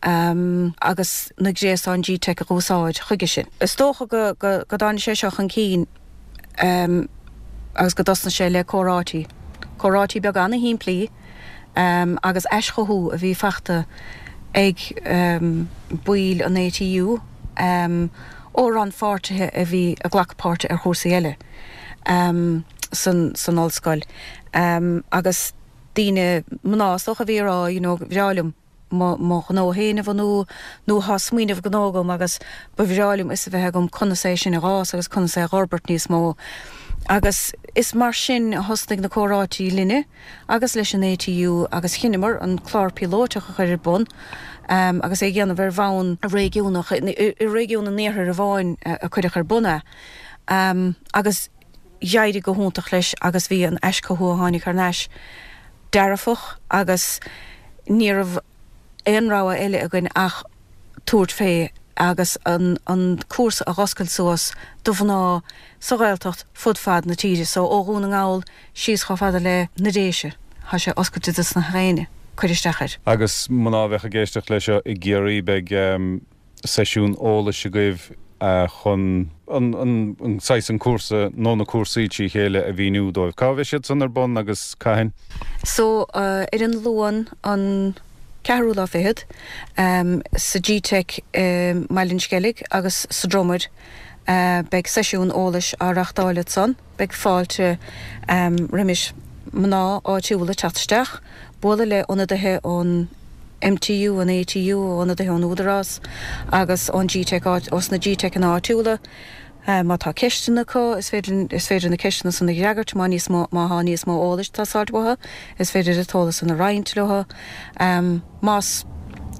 agus na gréasáin GTeic a dh'úsáid chuige sin. Is dócha go dtáinig sé seo chun cinn agus go dtosnaigh sé le comhráití, comhráití beaga ana-shimplí agus aischothú a bhí fachta ag baill an ATU ó rannpháirtithe a bhí ag glacadh páirte ar chúrsaí eile san san ollscoil agus daoine, mná is dócha, a bhí ag rá you know bhreá liom mo mo ghnó féin a bhunú nó thá smaoineamh gnó agam agus ba bhreá liom fhios a bheith agam conas é sin a dh'fhás agus conas é a dh'fhorbairt níos mó. Agus is mar sin a thosnaigh na comhráití linne agus leis an ATU agus chinneamar an clár píolótach a chur ar bun agus é a dhéanamh ar bhonn réigiúnach, i réigiún an Iarthair amháin a cuireadh ar bun é agus d'éirigh go hiontach leis agus bhí an aischothú a tháinig thar n-ais dearfach agus ní raibh aon rogha eile againn ach tabhairt fé agus an an cúrsa a dh'oscailt suas do mhná sa Ghaeltacht fud fad na tíre so ó Dhún na nGall síos chomh fada le na Déise tá sé oscailte dos na héinne cur isteach air. Agus mná a bheadh ag éisteacht leis seo i gCiarraí beidh seisiún eolais agaibh chun an saghas, an cúrsa nó na cúrsaí trí chéile a mhíniú dóibh. Cá bheidh siad san ar bun agus cathain? So ar an Luan an ceathrú lá fichead sa GTeic i mBaile an Sceilg agus sa Dromaid beidh seisiún eolais á reachtáil ansan. Beidh fáilte roimis mná áitiúla teacht isteach, bualadh le ionadaithe ón MTU, an ATU, ionadaithe ón Údarás agus ón GTeic, ós na GTeiceanna áitiúla. Má tá ceisteanna acu, is féidir is féidir na ceisteanna san a fhreagairt, má níos mó má thá níos mó eolais ag teastáilt uathu, is féidir an t-eolas san a roinnt leo. Más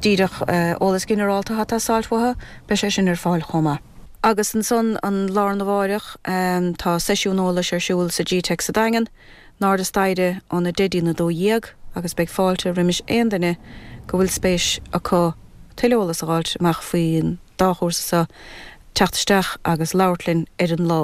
díreach eolas ginearálta atá ag teastáil uathu, beidh sé sin ar fáil chomh maith. Agus ansan an lá arna mháireach tá seisiún eolais ar siúl sa G-Teic sa Daingean, in airde staighre óna deich dtí'n a dó dhéag agus beidh fáilte roimis aon duine go bhfuil spéis acu tuilleadh eolas a fháilt amach faoin dá chúrsa seo teacht isteach agus labhairt linn ar an lá.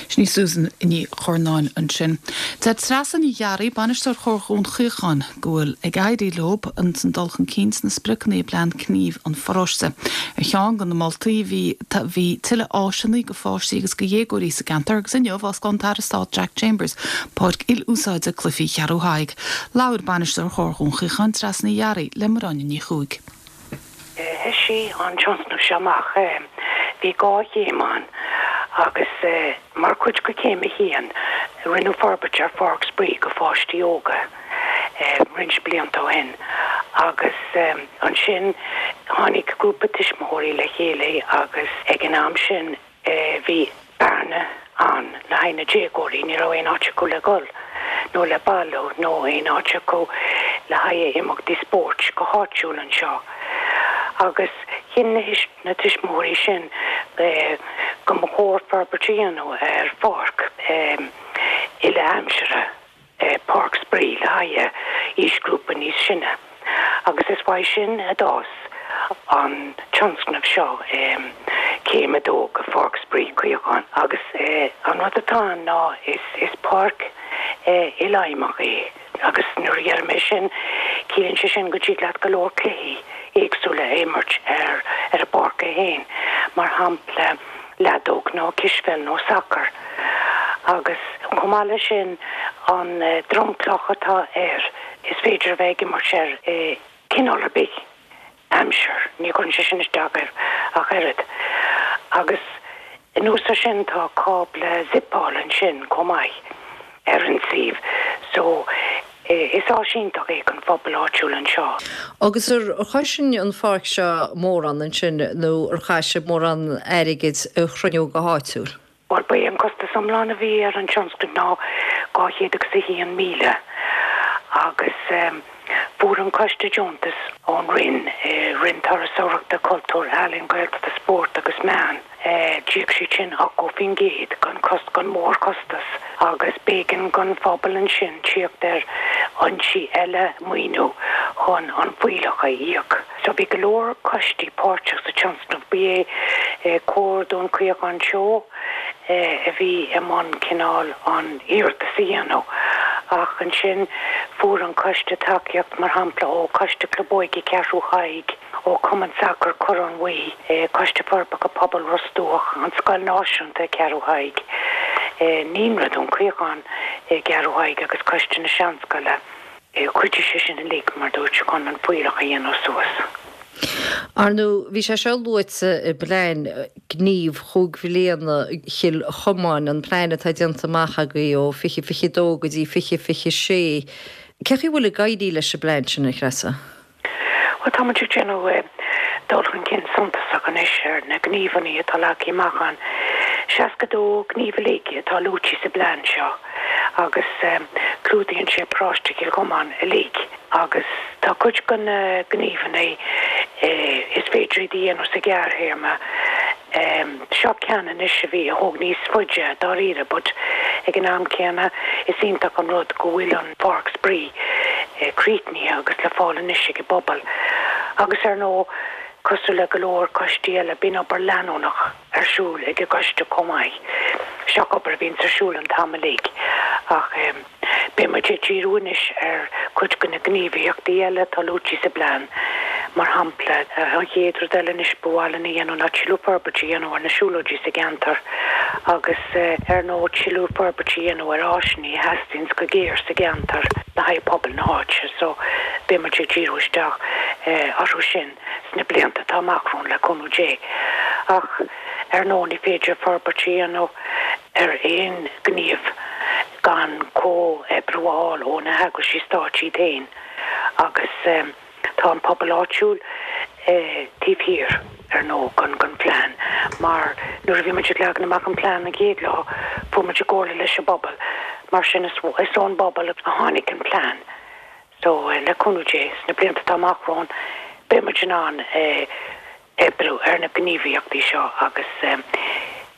Sin í Susan Ní Churnáin ansin. Deir Treasa Ní Ghearraigh, bainisteoir Chomhar Dhún Chaocháin, go bhfuil ag éirí leo an dul chun cinn sna spriocanna i bplean gnímh an pharóiste. Ar cheann de na moltaí bhí bhí tuilleadh áiseanna go pháistí agus go dhéagóirí sa gceantar agus inniu osclaíonn an tAire Stáit Jack Chambers páirc il-úsáide cluichí Cheathrú Thaidhg. Labhair bainisteoir Chomhar Dhún Chaocháin, Treasa Ní Ghearraigh, le Máire Áine Ní Chuaig. Thoisigh an tionscnamh seo amach, bhí dhá chéim ann agus mar chuid de chéim a haon rinneadh forbairt ar pháirc spraoi go pháistí óga roinnt blianta ó shin agus ansin tháinig grúpa tuismitheoirí le chéile agus ag an am sin bhí bearna ann le haghaidh na déagóirí, ní raibh aon áit acu le dhul nó le bailiú nó aon áit acu le haghaidh imeachtaí spóirt go háitiúil anseo. Agus chinn na tuismitheoirí sin go mba chóir forbairt a dhéanamh ar pháirc uile-aimsire. páirc spraoi le haghaidh aoisghrúpa níos sine agus is uaidh sin a d'fhás an tionscnamh seo, Céim a Dó go Pháirc Spraoi Chaocháin agus an rud atá ann ná is páirc ilfheidhmeach é agus nuair a deirim é sin ciallaíonn sé sin go dtig leat go leor cluichí éagsúla a imirt ar ar an bpáirc é féin, mar shampla leadóg nó cispheil nó sacar. Agus chomh maith leis sin, an dromchlach atá air, is féidir a bheith ag imirt air i cineál ar bith aimsir, ní chuireann sé sin isteach air ach oiread. Agus anuas ar sin tá cábla zipeáil ansin chomh maith ar an suíomh. So is áis iontach é don phobal áitiúil anseo. Agus ar chosain an pháirc seo mórán ansin nó ar chaith sibh mórán airgid a chruinniú go háitiúil? Bhuel, ba é an costas iomlán a bhí ar an tionscnamh ná dhá chéad agus a haon míle agus fuair an coiste deontas ón Roinn, Roinn Turasóireachta, Cultúir, Ealaíon, Gaeltachta, Spóirt agus Meán. D'íoc siad sin ochtó faoin gcéad den chos den mhórchostas agus b'éigean don phobal ansin tíocht ar fhoinsí eile maoiniú chun an fuílleach a íoc. So bhí go leor coistí páirteach sa tionscnamh. Ba é Comhar Dún Chaocháin Teo a bhí i mbun cineál an iarratas a dhéanamh ach ansin fuair an coiste tacaíocht mar shampla ó Choiste Club Óige Cheathrú Thaidhg, ó Chumann Sacair Corrán Bhuí, Coiste Forbartha Pobail Ros Dumhach, an Scoil Náisiúnta i gCeathrú Thaidhg, Naíonra Dún Chaocháin i gCeathrú Thaidhg agus Coiste na Seanscoile. Chuidigh sé sin uilig, mar dúirt, chun an fuílleach a dhéanamh suas. Ar ndóigh, bhí sé seo luaite i bplean gnímh chúig bhliana Chill Chomáin, an plean atá déanta amach agaibh ó fiche fiche dó go dtí fiche fiche sé. Cé chaoi a bhfuil ag éirí leis an bplean sin, a Threasa? Bhuel, tá muid ag déanamh dul chun cinn suntasach anois ar na gníomhanna atá leagtha amach ann. Seasca dó gníomh uilig atá luaite sa bplean seo agus clúdaíonn sé paróiste Chill Chomáin uilig agus tá cuid de na gníomhanna is féidir iad a dhéanamh sa ghearrthéarma. Seo ceann anois a bhí, a thóg níos faide dáiríre but ag an am céanna is iontach an rud go bhfuil an pháirc spraoi críochnaithe agus le fáil anois ag an bpobal. Agus ar ndóigh, cosúil le go leor coistí eile, bíonn obair leanúnach ar siúl ag an gcoiste chomh maith. Seo obair a bhíonns ar siúl an t-am uilig ach. Beidh muid ag díriú anois ar chuid de na gníomhaíochtaí eile atá luaite sa bplean. Mar shampla, an chéad rud eile anois ba mhaith linn a dhéanamh ná tuilleadh forbairt a dhéanamh ar na siúlóidí sa gceantar agus ar ndóigh tuilleadh forbairt a dhéanamh ar áiseanna a theastaíonns go géar sa gceantar le haghaidh pobal na háite. So, beidh muid ag díriú isteach orthu sin sna blianta atá amach romhainn le cúnamh Dé. Ach ar ndóigh ní féidir forbairt a dhéanamh ar aon ghníomh gan comhoibriú a fháil ó na heagraisí stáit iad féin agus tá an pobal áitiúil taobh thiar, ar ndóigh, den den phlean mar nuair a bhí muid ag leagan amach an plean an chéad lá fuair muid i gcomhairle leis an bpobal mar sin is ón bpobal a tháinig an plean. So le cúnamh Dé, sna blianta atá amach romhainn, beidh muid in ann oibriú ar na gníomhaíochtaí seo agus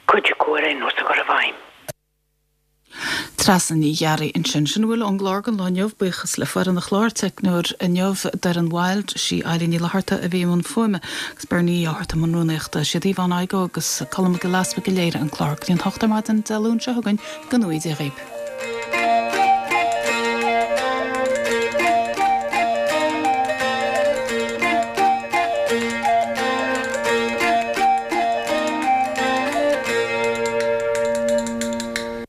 cuid acu ar aon nós a chur i bhfeidhm. Treasa Ní Ghearraigh ansin. Sin a bhfuil ón gclár don lá inniu, buíochas le foireann an chláir, teicneoir inniu Doireann Wild, sí Eilín Ní Fhlatharta a bhí i mbun fuaime agus Bernie Uí Fhátharta i mbun rúnaíochta. Siad Yvonne Igoe agus Colm Mac Giolla Easpaig a léirigh an clár. Go dtí an hocht ar maidin Dé Luain seo chugainn, go ngnóthaí Dia dhaoibh.